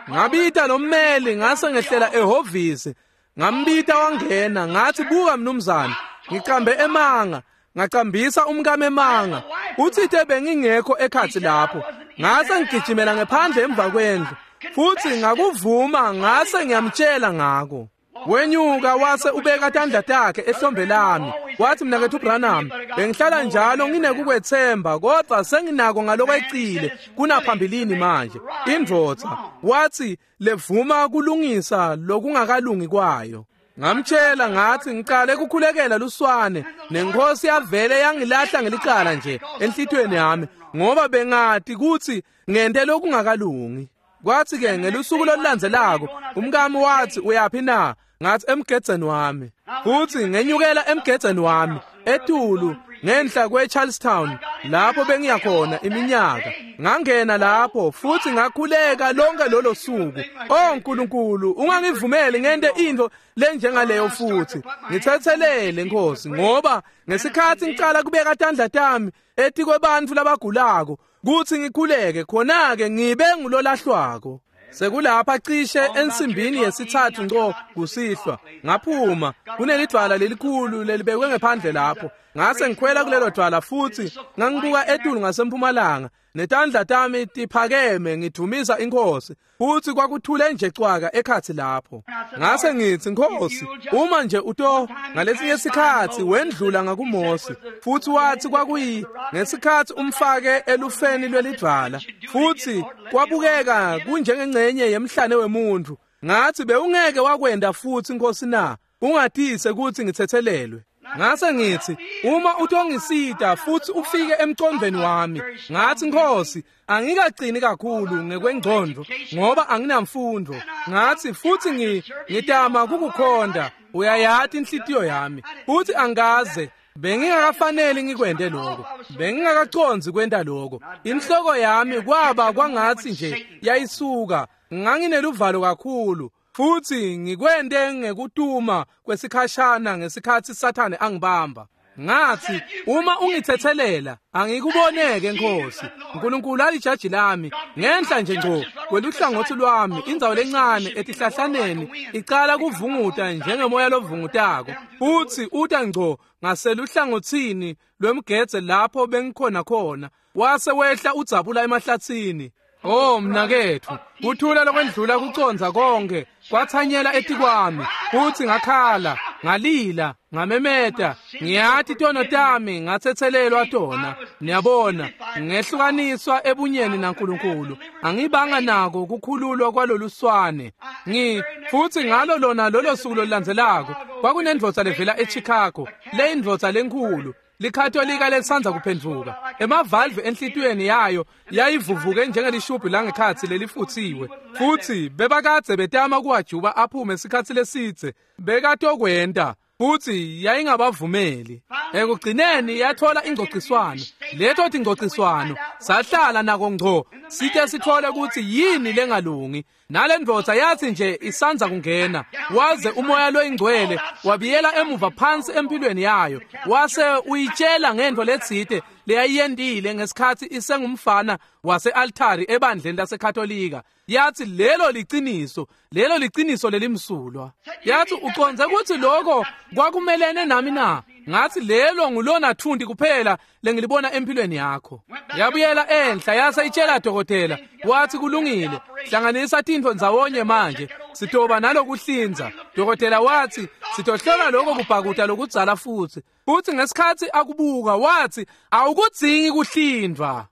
Ngabita lo mmeli, ngase ngehlela ehhovisi, ngambita wangena, ngathi, buka mnumzane, ngicambe emanga, ngacambisa umkami emanga, uthite bengingekho ekhathi lapho. Ngase ngigijimela ngephandle emva kwendlu, futhi ngakuvuma, ngase ngiyamtshela ngako. Wenyuka wase ubeka tandla takhe ehlombe lami, wathi, mnakethu Branham, bengihlala njalo nginekukwethemba, kodwa senginako ngalokwecile kunaphambilini manje. Indvodza wathi levuma kulungisa lokungakalungi kwayo. Ngamtshela ngathi ngicale kukhulekela luswane, nenkosi yavele yangilahla ngelicala nje enhlitiyweni yami, ngoba bengati ukuthi ngente lokungakalungi. Kwathi ke ngelusuku olulandzelako umkami wathi, uyaphi na? Ngathi, emgedzeni wami. Futhi ngenyukela emgedzeni wami etulu ngenhla kwe-Charlestown lapho bengiya khona iminyaka. Ngangena lapho futhi ngakhuleka lonke lolo suku. Oh Nkulunkulu, ungangivumeli ngente into lenjengaleyo futhi. Ngithethelele Nkosi, ngoba ngesikhathi ngicala kubeka tandla tami etikwebantfu labagulako kuthi ngikhuleke, khona-ke ngibe ngulolahlwako. Sekulapha cishe ensimbini yesithathu ngco kusihlwa, ngaphuma kunelidwala lelikhulu lelibekwe ngephandle lapho. Ngase ngikhwela kulelo dwala futhi ngangibuka etulu ngasempumalanga, netandla tami tiphakeme ngidumisa inkosi, futhi kwakuthule nje cwaka ekhathi lapho. Ngase ngithi, Nkosi, uma nje uto ngalesinye isikhathi wendlula ngakuMose, futhi wathi kwakuyi ngesikhathi umfake elufeni lwelidwala, futhi kwabukeka kunjengengcenye yemhlane wemuntu. Ngathi, bewungeke wakwenda futhi Nkosi na? Ungatise ukuthi ngithethelelwe. Ngase ngithi, uma utongisita futhi ufike emcondweni wami. Ngathi, Nkosi, angikagcini kakhulu ngekwengcondo ngoba anginamfundo. Ngathi, futhi ngi ngitama kukukhonda, uyayati inhlitiyo yami, futhi angaze bengingakafaneli ngikwente lokho, bengingakaconzi kwenta lokho. Inhloko yami kwaba kwangathi nje yayisuka, ngangineluvalo kakhulu. Futhi ngikwente ngekutuma kwesikhashana ngesikhathi Sathane angibamba. Ngathi, uma ungithethelela angikuboneke Nkosi. uNkulunkulu alijaji lami ngenhla nje ngco kweluhlangothi lwami, indzawo lencane etihlahlaneni icala kuvunguta njengemoya lovungutako, futhi uta ngco ngaseluhlangothini lwemgedze lapho bengikhona khona, wase wehla udzabula emahlathini. Oh mnakethu, kuthula lokwendlula kuconza konke kwathanyela etikwami, futhi ngakhala, ngalila, ngamemeta, ngiyati tono tami ngathethelelwa tona. Niyabona, ngehlukaniswa ebunyeni naNkulunkulu, angibanga nako kukhululwa kwaloluswane. Ngi futhi ngalo lona lolo suku lolulandzelako kwakunendvodza levela eChicago, le indvodza lenkhulu, likatolika lesanza kuphendvuka. Emavalve enhlitiyweni yayo yayivuvuke njengelishubhu langekhatsi lelifuthiwe, futhi bebakadze betama kuwajuba aphume isikhathi lesidze, bekatokwenta, futhi yayingabavumeli. Ekugcineni yathola ingcociswano. Leto tingcociswano sahlala nako ngco site sithole ukuthi yini lengalungi. Nale ndvodza yathi nje isanza kungena, waze umoya loyingcwele wabiyela emuva phansi empilweni yayo, wase uyitshela ngento letsite leyayiyentile ngesikhathi isengumfana wase-altari ebandleni laseKatolika. Yathi lelo liciniso, lelo liciniso lelimsulwa. Yathi, uconze ukuthi lokho kwakumelene nami na? Ngathi, lelo ngulona thundi kuphela lengilibona empilweni yakho. Yabuyela enhla yase itshela dokotela, wathi kulungile, hlanganisa tintfo ndzawonye manje, sitoba nalokuhlinza. Dokotela wathi sitohlola lokho kubhakuta lokudzala futhi. Futhi ngesikhathi akubuka wathi awukudzingi kuhlindwa.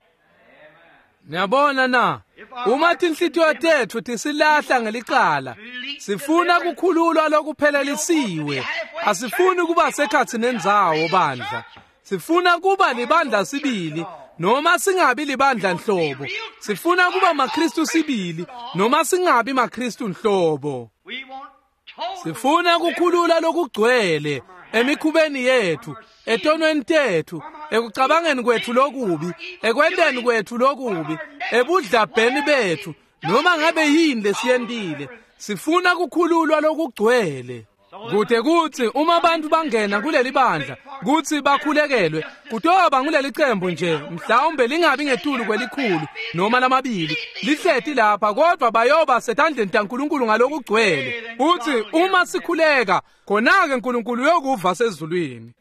Niyabona na, uma tinhlitiyo tetfu tisilahla ngelicala, sifuna kukhululwa lokuphelelisiwe. Asifuni kuba sekhatsi nendzawo bandla, sifuna kuba libandla sibili noma singabi libandla nhlobo. Sifuna kuba maKristu sibili noma singabi maKristu nhlobo. Sifuna kukhulula lokugcwele emikhubeni yethu, etonweni tethu, ekucabangeni kwethu lokubi, ekwenteni kwethu lokubi, ebudlabheni bethu, noma ngabe yini lesiyentile. Sifuna kukhululwa lokugcwele. Kude kuthi uma abantu bangena kuleli bandla kuthi bakhulekelwe, kutoba nguleli cembu nje, mhlawumbe lingabi ngetulu kwelikhulu noma lamabili lihleti lapha, kodwa bayoba setandleni taNkulunkulu ngalokugcwele. Uthi uma sikhuleka, khona-ke uNkulunkulu uyokuva sezulwini.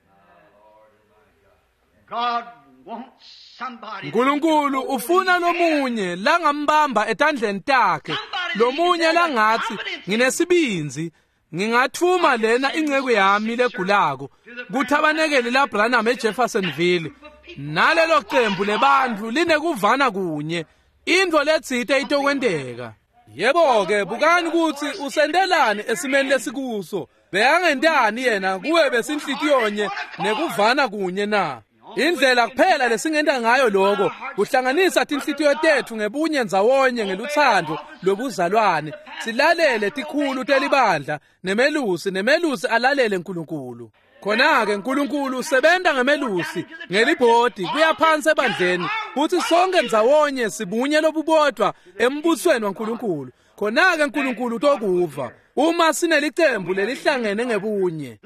uNkulunkulu ufuna lomunye langambamba etandleni takhe, lomunye langathi nginesibinzi, ngingathuma lena inceku yami legulako kuthabanekeli la Branham eJeffersonville, nalelo cembu lebantfu linekuvana kunye, intfo letsite itokwenteka. Yebo-ke, bukani kutsi usentelani esimeni lesikuso. Bekangentani yena kuwe besinhlitiyonye nekuvana kunye na? Indlela kuphela lesingenta ngayo lokho kuhlanganisa tinhlitiyo tetfu ngebunye ndzawonye ngelutsandvo lobuzalwane, silalele tikhulu telibandla nemelusi, nemelusi alalele uNkulunkulu. Khona-ke uNkulunkulu usebenta ngemelusi ngelibhodi kuya phansi ebandleni, futhi sonke ndzawonye sibunye lobubodwa embusweni waNkulunkulu. Khona-ke uNkulunkulu utokuva uma sinelicembu lelihlangene ngebunye.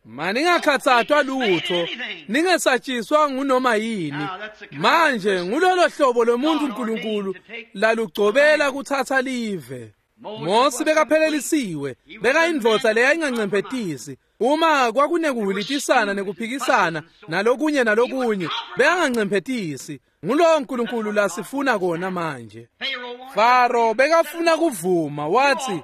Maningakhathathwa lutho, ningesatshiswa ngunoma yini. Manje ngulolo hlobo lomuntu uNkulunkulu lalugcobela kuthatha live. Mose bekaphelelisiwe, bekayindvodza leyayingancemphetisi. Uma kwakunekuhilitisana nekuphikisana nalokunye nalokunye, bekangancemphetisi. Ngulowo uNkulunkulu lasifuna kona manje. Faro bekafuna kuvuma, wathi,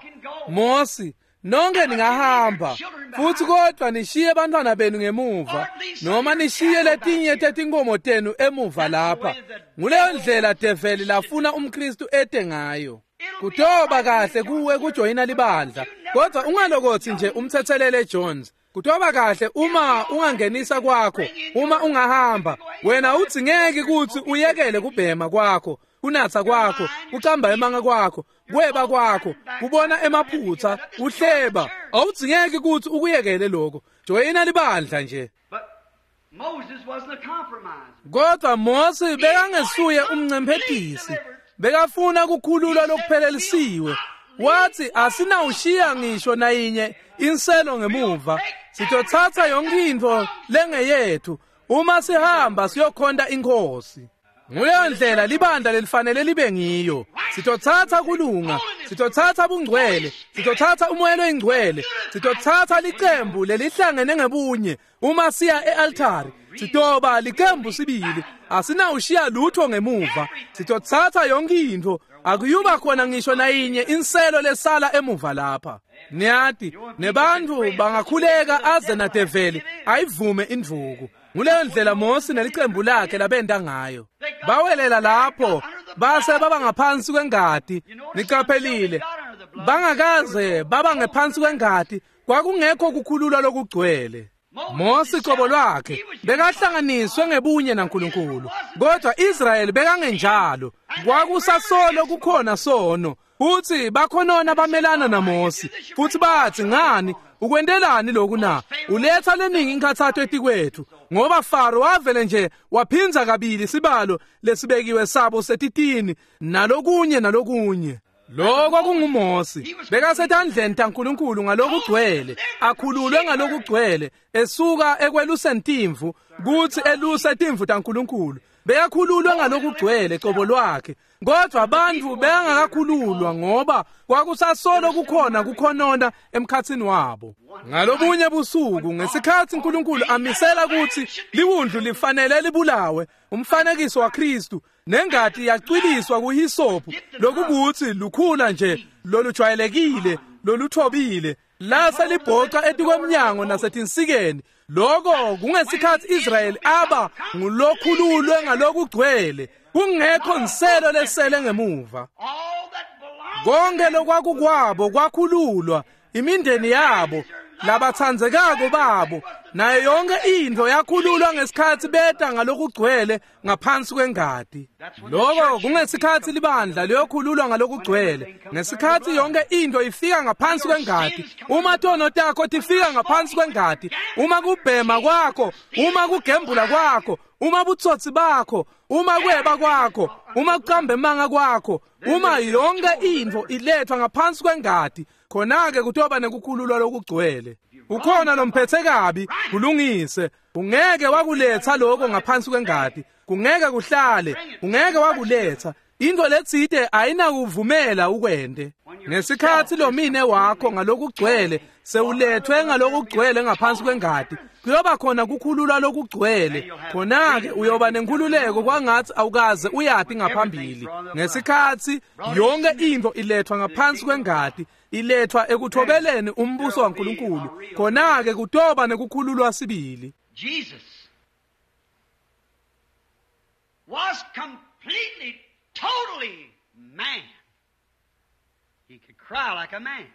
Mose, nonke ningahamba futhi kodwa nishiye bantwana benu ngemuva, noma nishiye letinye tetinkomo tenu emuva lapha. Nguleyo ndlela develi lafuna umKristu ete ngayo. Kutoba kahle kuwe kujoyina libandla, kodwa ungalokothi nje umthethelele Jones. Kutoba kahle uma ungangenisa kwakho, uma ungahamba wena udzingeki kutsi uyekele kubhema kwakho, kunatsa kwakho, kucamba emanga kwakho, kweba kwakho, kubona emaphutsa, uhleba. Awudzingeki kutsi ukuyekele lokho. Joyina libandla nje. Kodwa Mose bekangesuye umncemphetisi, bekafuna kukhululwa lokuphelelisiwe. Wathi asinawushiya ngisho nayinye inselo ngemuva, sitothatha yonke intfo lengeyethu uma sihamba siyokhonta inkosi. Nguleyo ndlela libandla lelifanele libe ngiyo. Sitothatha kulunga, sitothatha bungcwele, sitothatha umoya loyingcwele, sitothatha licembu lelihlangene ngebunye. Uma siya e-altari, sitoba licembu sibili, asinawushiya lutho ngemuva. Sitothatha yonke intfo, akuyuba khona ngisho nayinye inselo lesala emuva lapha. Niyati, nebantfu bangakhuleka aze nadeveli ayivume indvuku. Nguleyo ndlela Mose nelicembu lakhe labenta ngayo. Bawelela lapho base baba ngaphansi kwengati. Niqaphelile, bangakaze baba ngephansi kwengati, kwakungekho kukhululwa lokugcwele. Mose qobo lwakhe bekahlanganiswe ngebunye naNkulunkulu, kodwa Israyeli bekangenjalo. Kwakusasolo kukhona sono, futhi bakhonona bamelana naMose, futhi bathi, ngani ukwentelani lokhu na? Uletha leningi inkathatho etikwethu, ngoba Faro wavele nje waphinza kabili sibalo lesibekiwe sabo setitini nalokunye nalokunye. Lokho kunguMose, bekasetandleni taNkulunkulu ngalokugcwele, akhululwe ngalokugcwele, esuka ekweluseni timvu kuthi eluse timvu taNkulunkulu. Bekakhululwe ngalokugcwele qobo lwakhe, kodwa abantu bengakakhululwa ngoba kwakusasolo kukhona kukhonona emkhathini wabo. Ngalobunye busuku, ngesikhathi uNkulunkulu amisela ukuthi liwundlu lifanele libulawe, umfanekiso waKristu, nengati yacwiliswa kuhisophu, lokukuthi lukhula nje lolujwayelekile loluthobile, lase libhoca etikwemnyango nasetinsikeni. Lokho kungesikhathi Israyeli aba ngulokhululwe ngalokugcwele, kungekho nselo lesele ngemuva. Konke lokwakukwabo kwakhululwa, imindeni yabo, labatsandzekako babo nayo yonke intfo yakhululwa ngesikhatsi beta ngalokugcwele ngaphansi kwengati. Loko kungesikhatsi libandla liyokhululwa ngalokugcwele, ngesikhatsi yonke intfo ifika ngaphansi kwengati. Uma tono takho tifika ngaphansi kwengati, uma kubhema kwakho, uma kugembula kwakho, uma butsotsi bakho, uma kweba kwakho, uma kuqamba emanga kwakho, uma yonke intfo ilethwa ngaphansi kwengati, khona-ke kutoba nekukhululwa lokugcwele. Ukhona lomphethe kabi, kulungise. Ungeke wakuletha lokho ngaphansi kwengati, kungeke kuhlale, ungeke wakuletha. Into letsite ayinakuvumela ukwente. Ngesikhatsi lomine wakho ngalokugcwele sewulethwe ngalokugcwele ngaphansi kwengati, kuyoba khona kukhululwa lokugcwele. Khona-ke uyoba nenkhululeko kwangatsi awukaze uyati ngaphambili. Ngesikhatsi yonke intfo ilethwa ngaphansi kwengati, ilethwa ekuthobeleni umbuso waNkulunkulu, khona-ke kutoba nekukhululwa sibili. Jesus was completely, totally man. He could cry like a man.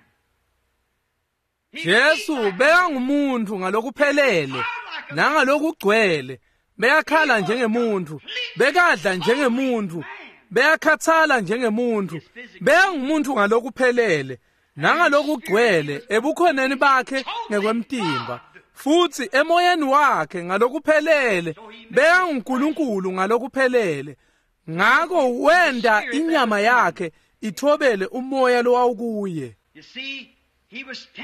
Jesu bekangumuntu ngalokuphelele nangalokugcwele. Bekakhala njengemuntu, bekadla njengemuntu, bekakhathala njengemuntu, bekangumuntu ngalokuphelele nangalokugcwele ebukhoneni bakhe ngekwemtimba, futsi emoyeni wakhe ngalokuphelele bekanguNkulunkulu ngalokuphelele. Ngako wenda inyama yakhe ithobele umoya lowawukuye.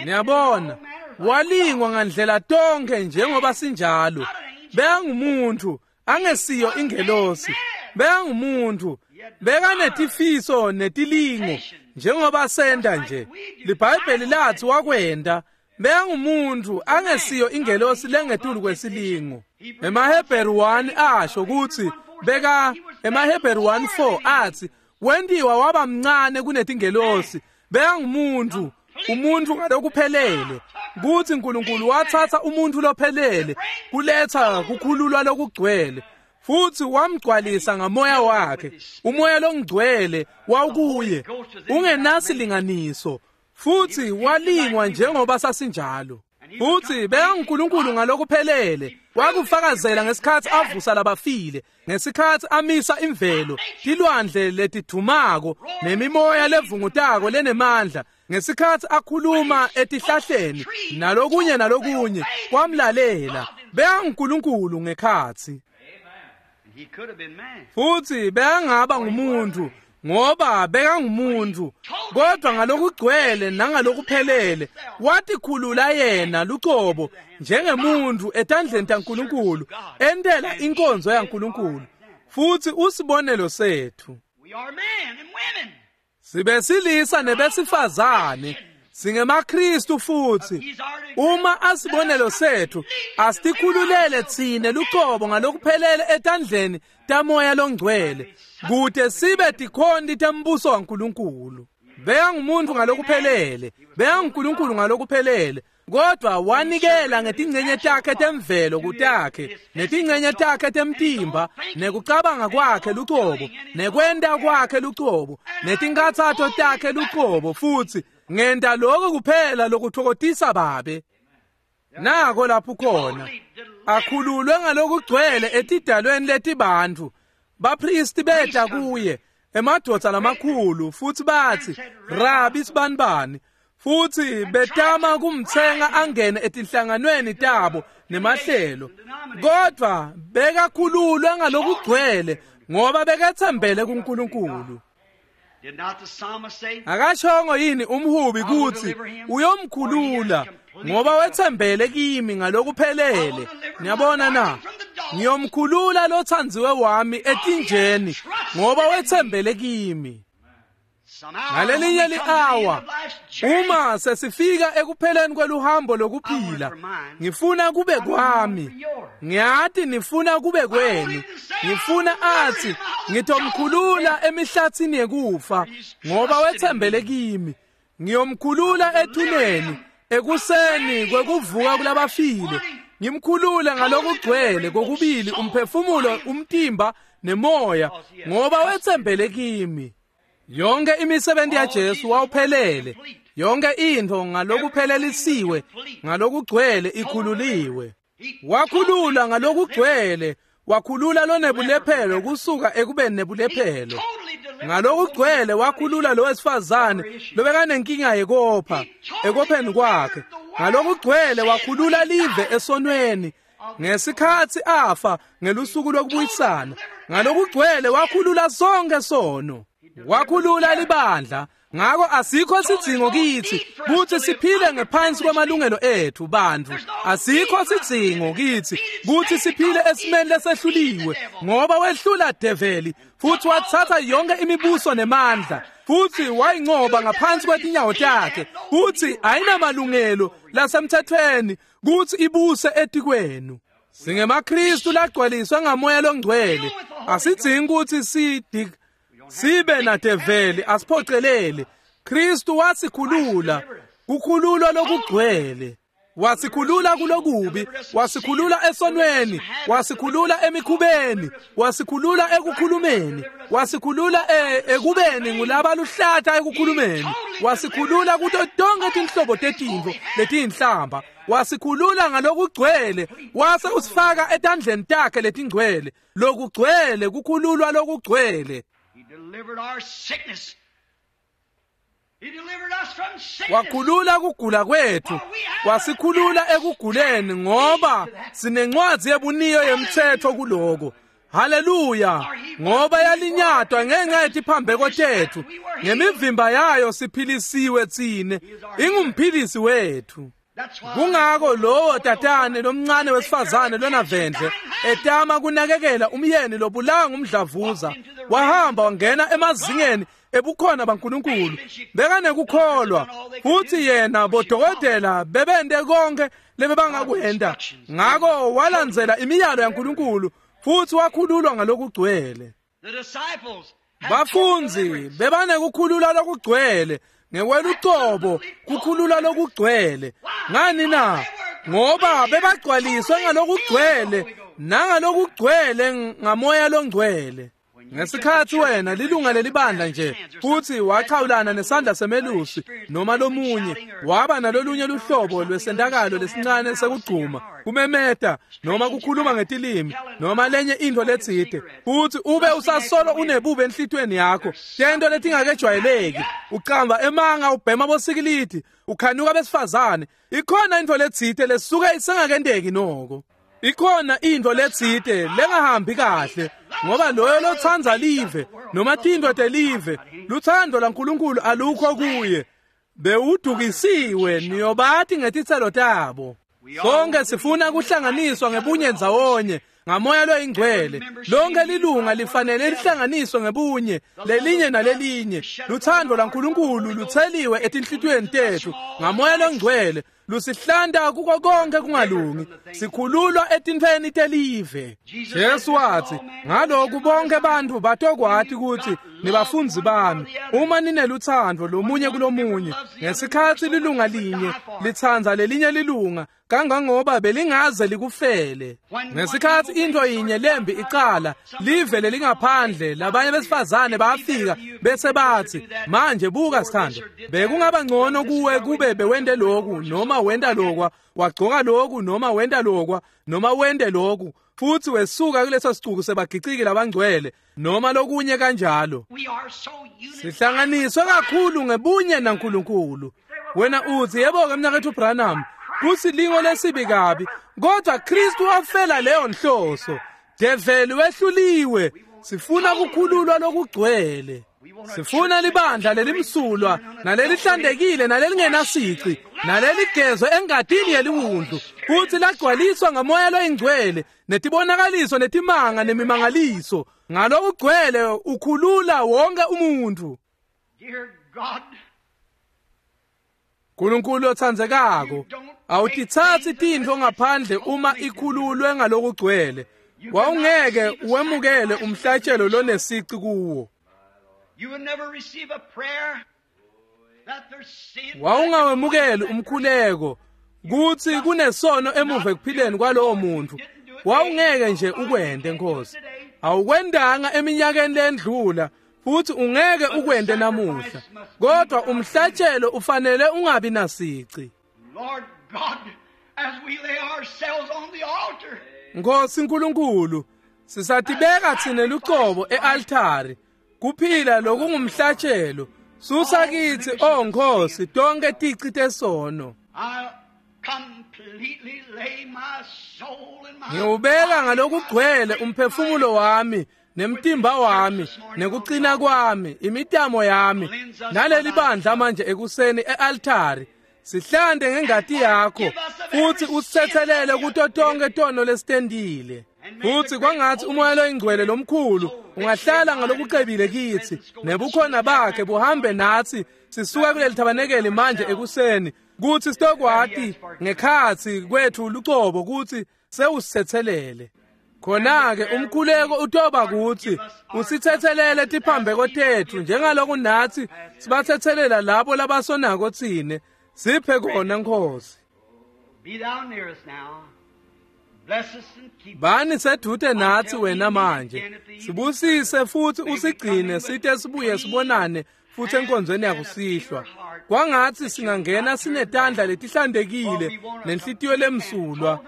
Niyabona, walingwa ngandlela tonke njengoba sinjalo. Bekangumuntu, angesiyo ingelosi. Bekangumuntu, bekanetifiso netilingo njengoba senta nje. LiBhayibheli lathi wakwenda. Bekangumuntu, angesiyo ingelosi lengetulu kwesilingo. EmaHebheru one asho kutsi beka emaHebheru one four athi wentiwa waba mncane kunetingelosi. Bekangumuntu, umuntu ngalokuphelele. Kuthi uNkulunkulu wathatha umuntu lophelele kuletha kukhululwa lokugcwele, futhi wamgcwalisa ngamoya wakhe. Umoya longcwele wawukuye ungenasilinganiso, futhi walingwa njengoba sasinjalo. Futhi bekanguNkulunkulu ngalokuphelele. Wakufakazela ngesikhatsi avusa labafile, ngesikhatsi amisa imvelo, tilwandle letidumako nemimoya levungutako lenemandla, ngesikhatsi akhuluma etihlahleni nalokunye nalokunye, kwamlalela. BekanguNkulunkulu ngekhatsi. Futhi bekangaba ngumuntu ngoba bekangumuntu, kodwa ngalokugcwele nangalokuphelele watikhulula yena lucobo njengemuntu etandleni taNkulunkulu, entela inkonzo yaNkulunkulu. Futhi usibonelo sethu. Sibesilisa nebesifazane, singemaKristu futhi. Uma asibonelo sethu, asitikhululele tsine lucobo ngalokuphelele etandleni tamoya longcwele, kute sibe tikhonti tembuso waNkulunkulu. Bekangumuntu ngalokuphelele, bekanguNkulunkulu ngalokuphelele, kodwa wanikela ngetingcenye takhe temvelo kutakhe, netingcenye takhe temtimba, nekucabanga kwakhe lucobo, nekwenta kwakhe lucobo, netinkhatsato takhe lucobo, futhi ngenta lokho kuphela lokutfokotisa Babe. Nako lapho khona akhululwe ngalokugcwele etidalweni letibantfu. Bapristi beta kuye, emadvodza lamakhulu, futhi bathi, Rabi sibanibani, futhi betama kumtsenga angene etinhlanganweni tabo nemahlelo. Kodwa bekakhululwe ngalokugcwele ngoba bekethembele kuNkulunkulu. Akashongo yini umhubi kutsi uyomkhulula ngoba wethembele kimi ngalokuphelele? Niyabona na? Ngiyomkhulula lothandziwe wami etinjeni ngoba wethembele kimi. Ngalelinye li-awa, uma sesifika ekupheleni kweluhambo lokuphila, ngifuna kube kwami. Ngiyati nifuna kube kwenu. Ngifuna athi ngitomkhulula emihlathini yekufa ngoba wethembele kimi. Ngiyomkhulula ethuneni ekuseni kwekuvuka kulabafile. Ngimkhulule ngalokugcwele kokubili umphefumulo, umtimba nemoya ngoba wethembele kimi. Yonke imisebenzi yaJesu wawuphelele. Yonke intfo ngalokuphelelisiwe, ngalokugcwele ikhululiwe. Wakhulula ngalokugcwele, wakhulula lonebulephelo kusuka ekubeni nebulephelo. Ngalokugcwele wakhulula lo wesifazane lobekanenkinga yekopha ekopheni kwakhe. Ngalokugcwele wakhulula live esonweni ngesikhatsi afa ngelusuku lokubuyisana. Ngalokugcwele wakhulula sonke sono, wakhulula libandla. Ngako asikho sidzingo kitsi kutsi siphile ngephansi kwamalungelo ethu bantfu. Asikho sidzingo kitsi kutsi siphile esimeni lesehluliwe, ngoba wehlula develi futsi watsatsa yonke imibuso nemandla futsi wayincoba ngaphansi kwetinyawo takhe, futsi ayinamalungelo lasemthethweni kutsi ibuse etikwenu. SingemaKristu lagcwaliswe ngamoya longcwele. Asidzingi kutsi sidik sibe nadeveli asiphocelele. Kristu wasikhulula, kukhululwa lokugcwele. Wasikhulula kulokubi, wasikhulula esonweni, wasikhulula emikhubeni, wasikhulula ekukhulumeni, wasikhulula ekubeni ngulabaluhlata ekukhulumeni, wasikhulula kuto tonke tinhlobo tetintfo letiyinhlamba, wasikhulula ngalokugcwele, wase usifaka etandleni takhe letingcwele. Lokugcwele, kukhululwa lokugcwele. Wakhulula kugula kwethu, wasikhulula ekuguleni, ngoba sinencwadzi yebuniyo yemthetho kuloko. Haleluya! Ngoba yalinyatwa ngenxa yetiphambeko tethu, ngemivimba yayo siphilisiwe tsine. Ingumphilisi wethu. Kungako lowo tatane lomncane wesifazane lonavendle etama kunakekela umyeni lobulawa ngumdlavuza, wahamba wangena emazingeni ebukhona baNkulunkulu. Bekanekukholwa, futhi yena bodokotela bebente konke lebebangakwenta. Ngako walandzela imiyalo yaNkulunkulu futhi wakhululwa ngalokugcwele. Bafundzi bebanekukhululwa lokugcwele ngekwelucobo, kukhululwa lokugcwele. Ngani na? Ngoba bebagcwaliswe ngalokugcwele nangalokugcwele ngamoya longcwele. Ngesikhatsi wena lilunga lelibandla nje futhi wachawulana nesandla semelusi noma lomunye, waba nalolunye luhlobo lwesentakalo lesincane sekugcuma, kumemeta noma kukhuluma ngetilimi noma lenye intfo letsite, futhi ube usasolo unebubi enhlitiyweni yakho, tento letingakejwayeleki, ucamba emanga, ubhema bosikilidi, ukhanuka besifazane, ikhona intfo letsite lesuke isengakenteki noko. Ikhona intfo letsite lengahambi kahle, ngoba loyo lotsandza live noma tintfo telive, lutsandvo lwaNkulunkulu alukho kuye. Bewudukisiwe, niyobati ngetitselo tabo. Sonke sifuna kuhlanganiswa ngebunye ndzawonye ngamoya loyingcwele. Lonke lilunga lifanele lihlanganiswe ngebunye lelinye nalelinye. Lutsandvo lwaNkulunkulu lutseliwe etinhlitiyweni tethu ngamoya longcwele, lusihlanta kuko konke kungalungi, sikhululwa etintfweni telive. Jesu watsi, ngaloku bonke bantfu batokwati kutsi nibafundzi bami, uma ninelutsandvo lomunye kulomunye. Ngesikhatsi lilunga linye litsandza lelinye lilunga kangangoba belingaze likufele. Ngesikhatsi intfo yinye lembi icala, live lelingaphandle, labanye besifazane bayafika bese batsi, manje buka sithando, bekungaba ngcono kuwe kube bewente loku noma wenta lokwa, wagcoka loku noma wenta lokwa, noma wente loku, futhi wesuka kuleso sicuku sebagiciki labangcwele noma lokunye kanjalo. Sihlanganiswe kakhulu ngebunye naNkulunkulu. Wena uthi, yebo-ke mnaketfu Branham, kusilingo lesibi kabi, kodwa Kristu wafela leyo nhloso. Develi wehluliwe. Sifuna kukhululwa lokugcwele. Sifuna libandla lelimsulwa nalelihlantekile nalelingenasici naleligezwe engatini yeliwundlu, futsi lagcwaliswa ngamoya loyingcwele netibonakaliso netimanga nemimangaliso. Ngalokugcwele ukhulula wonke umuntfu. Nkulunkulu otsandzekako, awutitsatsi tintfo ngaphandle uma ikhululwe ngalokugcwele. Wawungeke wemukele umhlatshelo lonesici kuwo. Wawungawemukeli umkhuleko kutsi kunesono emuva ekuphileni kwalowo muntfu. Wawungeke nje ukwente, Nkosi. Awukwendanga eminyakeni lendlula, Futhi ungeke ukwente namuhla. Kodwa umhlatshelo ufanele ungabi nasici. Lord God, as we lay ourselves on the altar, Nkosi nkulunkulu, sisatibeka tsine lucobo e-altari kuphila lokungumhlatshelo. Susa kitsi, oh Nkosi, tonke tici tesono. I completely lay my soul and my Ngiwubeka ngalokugcwele umphefumulo wami nemtimba wami nekucina kwami, imitamo yami naleli bandla manje ekuseni e-altari. Sihlande ngengati yakho futhi usithethelele kuto tonke tono lesitendile. Futhi kwangathi umoya loyingcwele lomkhulu ungahlala ngalokucebile kitsi, nebukhona bakhe buhambe natsi sisuka kuleli thabanekeli manje ekuseni, kutsi sitokwati ngekhatsi kwethu lucobo kutsi sewusithethelele. Khona-ke umkhuleko utoba kutsi usithethelele tiphambeko tetfu njengaloku natsi sibathetselela labo labasonako tsine. Siphe kona Nkosi. Be thou near us now. Bless us and keep us. Bani sedute natsi wena manje. Sibusise futhi usigcine site sibuye sibonane futhi enkonzweni yakusihlwa. Kwangatsi singangena sinetandla letihlantekile nenhlitiyo lemsulwa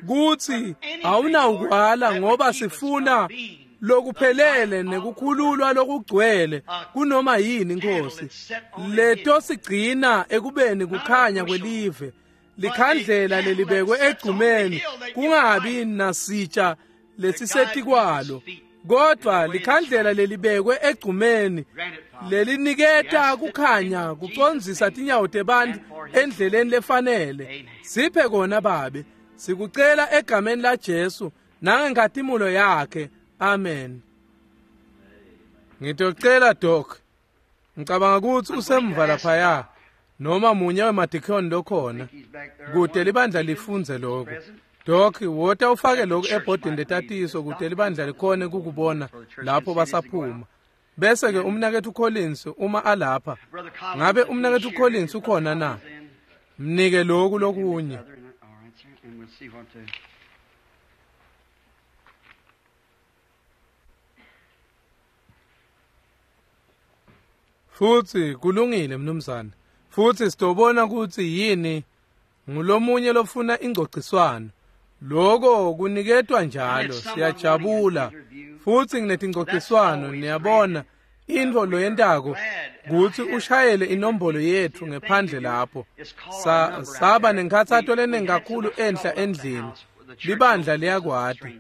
kutsi awunawukwala, ngoba sifuna lokuphelele nekukhululwa lokugcwele kunoma yini Nkosi. Leto sigcina ekubeni kukhanya kwelive. Likhandlela lelibekwe egcumeni kungabi nasitsha lesisetikwalo, kodwa likhandlela lelibekwe egcumeni leliniketa kukhanya kucondzisa tinyawo tebantfu endleleni lefanele. Siphe kona Babe, sikucela egameni la Jesu nangenkhatimulo yakhe. Amen. Ngitocela Doc, ngicabanga kutsi usemva laphaya noma munye wemadikhoni lokhona kute libandla lifundze lokho. Doc, wota ufake lokhu ebhodini letatiso kute libandla likhone kukubona lapho basaphuma. Bese ke umnaketfu Collins uma alapha, ngabe umnaketfu Collins ukhona na? Mnike lokhu lokunye. All right, sir, and we'll see what to. Futhi kulungile mnumzane. Futhi sitobona kutsi yini ngulomunye lofuna ingcogciswano. Lokho kuniketwa njalo, siyajabula. Futhi nginetingcogciswano, niyabona intfo loyentako kutsi ushayele inombolo yetfu ngephandle lapho. Sa, saba nenkhatsato lenengi kakhulu enhla endlini. Libandla liyakwati.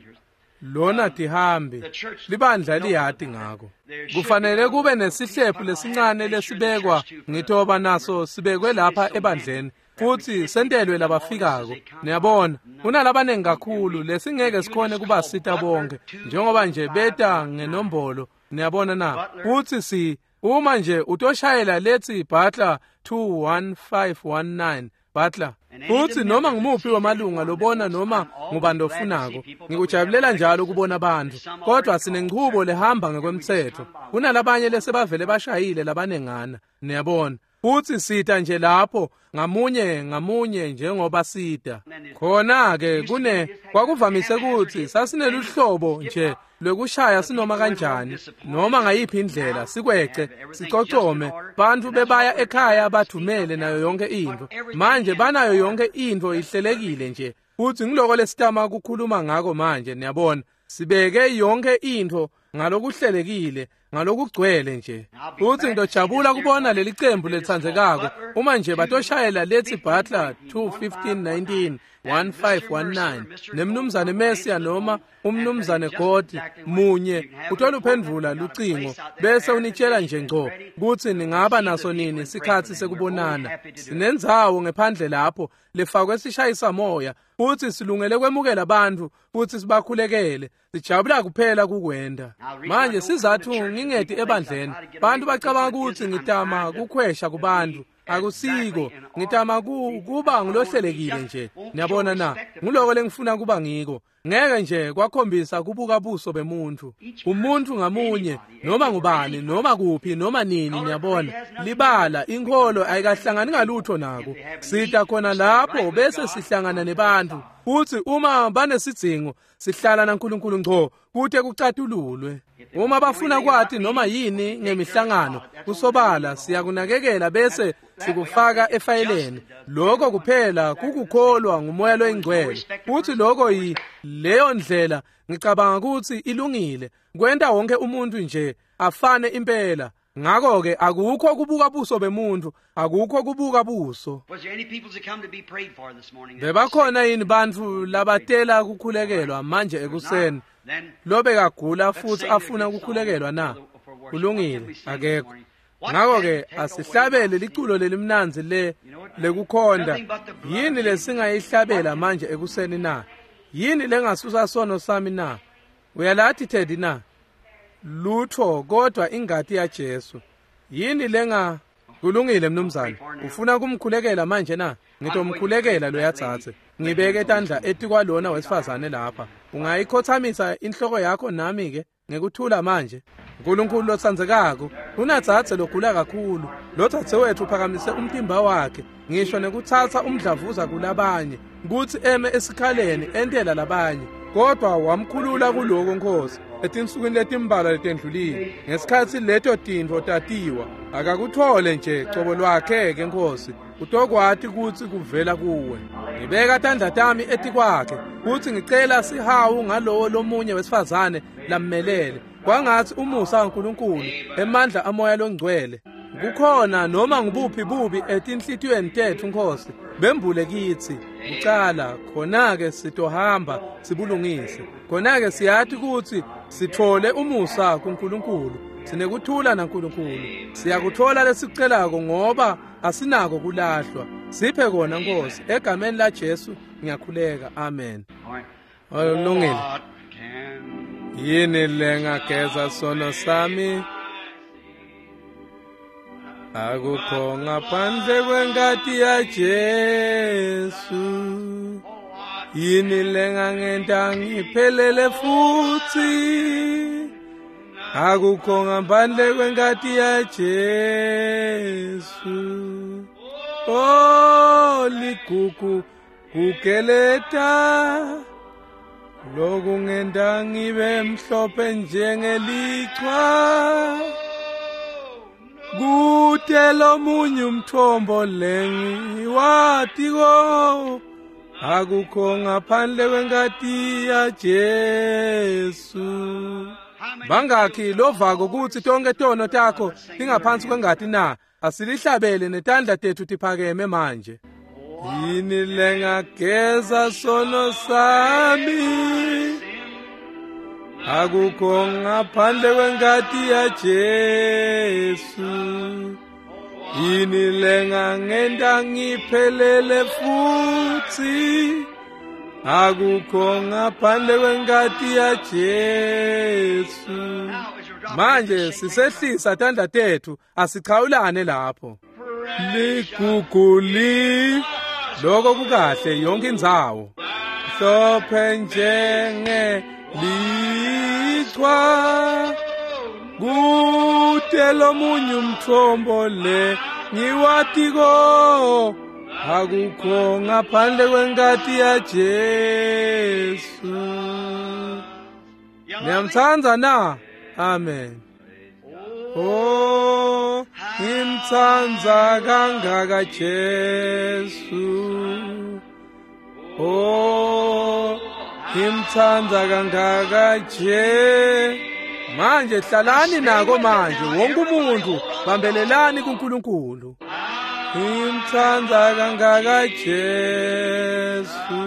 Lona tihambi, libandla liyati ngako. Kufanele kube nesihlephu lesincane lesibekwa, ngitoba naso sibekwe lapha ebandleni, futhi sentelwe labafikako. Niyabona, kunalabanengi kakhulu lesingeke sikhone kubasita bonke, njengoba nje beta ngenombolo. Niyabona na? Futhi si uma nje utoshayela lethi Butler two one five one nine Butler. Futhi noma ngumuphi wamalunga lobona noma ngubani lofunako, ngikujabulela njalo ukubona abantu, kodwa sinenchubo lehamba ngekwemtsetfo. Kunalabanye lesebavele bashayile labanengana, niyabona. Futhi sita nje lapho ngamunye ngamunye njengoba sita. Khona-ke kune kwakuvamise kutsi sasineluhlobo nje lwekushaya sinoma kanjani noma ngayiphi indlela, sikwece sicocome, bantfu bebaya ekhaya bathumele nayo yonke intfo. Manje banayo yonke intfo ihlelekile nje, futhi ngiloko lesitama kukhuluma ngako manje. Niyabona, sibeke yonke intfo ngalokuhlelekile, ngalokugcwele nje. Futhi ngidojabula kubona leli cembu letsandzekako uma nje batoshayela lethi Butler two fifteen nineteen one five one nine nemnumzane Messia noma umnumzane God munye utoluphendvula lucingo bese unitshela nje ngco kutsi ningaba naso nini sikhatsi sekubonana. Sinendzawo ngephandle lapho lefakwe sishayisa moya, futhi silungele kwemukela bantfu futhi sibakhulekele. Sijabula kuphela kukwenda. Manje sizathu ngingeti ebandleni, bantu bacabanga kutsi ngitama kukhwesha kubantu. Akusiko, ngitama ku, kuba ngulohlelekile nje. Niyabona na? Nguloko lengifuna kuba ngiko. Ngeke nje kwakhombisa kubuka buso bemuntu. Umuntu ngamunye, noma ngubani, noma kuphi, noma nini, niyabona. Libala, inkholo ayikahlangani ngalutho nako. Sita khona lapho bese sihlangana nebantu. Futhi uma banesidzingo, sihlala naNkulunkulu ngco kute kucatululwe. Uma bafuna kwati noma yini ngemihlangano, kusobala siyakunakekela bese sikufaka efayeleni. Lokho kuphela kukukholwa nguMoya loyiNgcwele. Futhi lokho yi leyo ndlela ngicabanga ukuthi ilungile. Kwenta wonke umuntu nje afane impela. Ngakho-ke akukho kubuka buso bemuntu, akukho kubuka buso. Bebakhona yini bantfu labatela kukhulekelwa manje ekuseni? Lobekagula futhi afuna ukukhulekelwa na? Kulungile, akekho. Ngakho-ke asihlabele liculo lelimnandzi le lekukhonda. Yini lesingayihlabela manje ekuseni na? Yini lengasusa sono sami na? Uyalathi Teddy na? Lutho kodwa ingati yaJesu. Yini lenga? Kulungile mnumzane. Ufuna kumkhulekela manje na? Ngitomkhulekela loyatsatse. Ngibeke tandla etikwalona wesifazane lapha. Ungayikhothamisa inhloko yakho nami ke ngekuthula manje. uNkulunkulu lotsandzekako, unatsatse logula kakhulu. Lotsatse wethu uphakamise umtimba wakhe ngisho nekutsatsa umdlavuza kulabanye kutsi eme esikhaleni entela labanye. Kodwa wamkhulula kuloko Nkosi etinsukwini letimbalwa letendlulile. Ngesikhatsi leto tintfo tatiwa, akakuthole nje cobo lwakhe ke Nkosi, utokwati kutsi kuvela kuwe. Ngibeka tandla tami etikwakhe kutsi ngicela sihawu ngalowo lomunye wesifazane lammelele. Kwangatsi umusa waNkulunkulu, emandla amoya longcwele, kukhona noma ngubuphi bubi etinhlitiyweni tetfu Nkosi, bembule kitsi kucala, khona-ke sitohamba sibulungise. Khona-ke siyati kutsi sithole umusa kuNkulunkulu, sinekuthula naNkulunkulu. Siyakuthola lesikucelako ngoba asinako kulahlwa. Siphe kona Nkosi, egameni la Jesu ngiyakhuleka, amen. Kulungile. Yini lengageza sono sami? Akukho ngaphandle kwengati yaJesu. Yini lengangenta ngiphelele futhi? Akukho ngaphandle kwengati yaJesu. Oh, ligugu kugeleta lokungenta ngibe mhlophe njengelichwa. Kute lomunye umthombo lengiwatiko, akukho ngaphandle kwengati yaJesu. Bangakhi lovako kutsi tonke tono takho tingaphansi kwengati na? Asilihlabele netandla tetfu tiphakeme manje. Yini lengageza sono sami? Akukho ngaphandle kwengati yaJesu. Yini lengangenta ngiphelele futhi? Akukho ngaphandle kwengati yaJesu. Manje sisehlisa tandla tetfu, asichawulane lapho. Liguguli lokho kukahle yonke indzawo. Hlophe njenge lichwa, kute lomunye umthombo le ngiwatiko, akukho ngaphandle kwengati yaJesu. Niyamtsandza na? Amen. Oh, ngimtsandza kangaka Jesu. Oh, ngimtsandza kangaka Je. Manje hlalani nako manje, wonke umuntu bambelelani kuNkulunkulu. Ngimtsandza kangaka Jesu,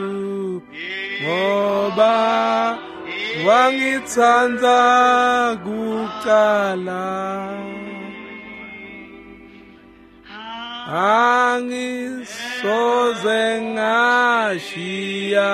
ngoba wangitsandza kucala. Angisoze ngashiya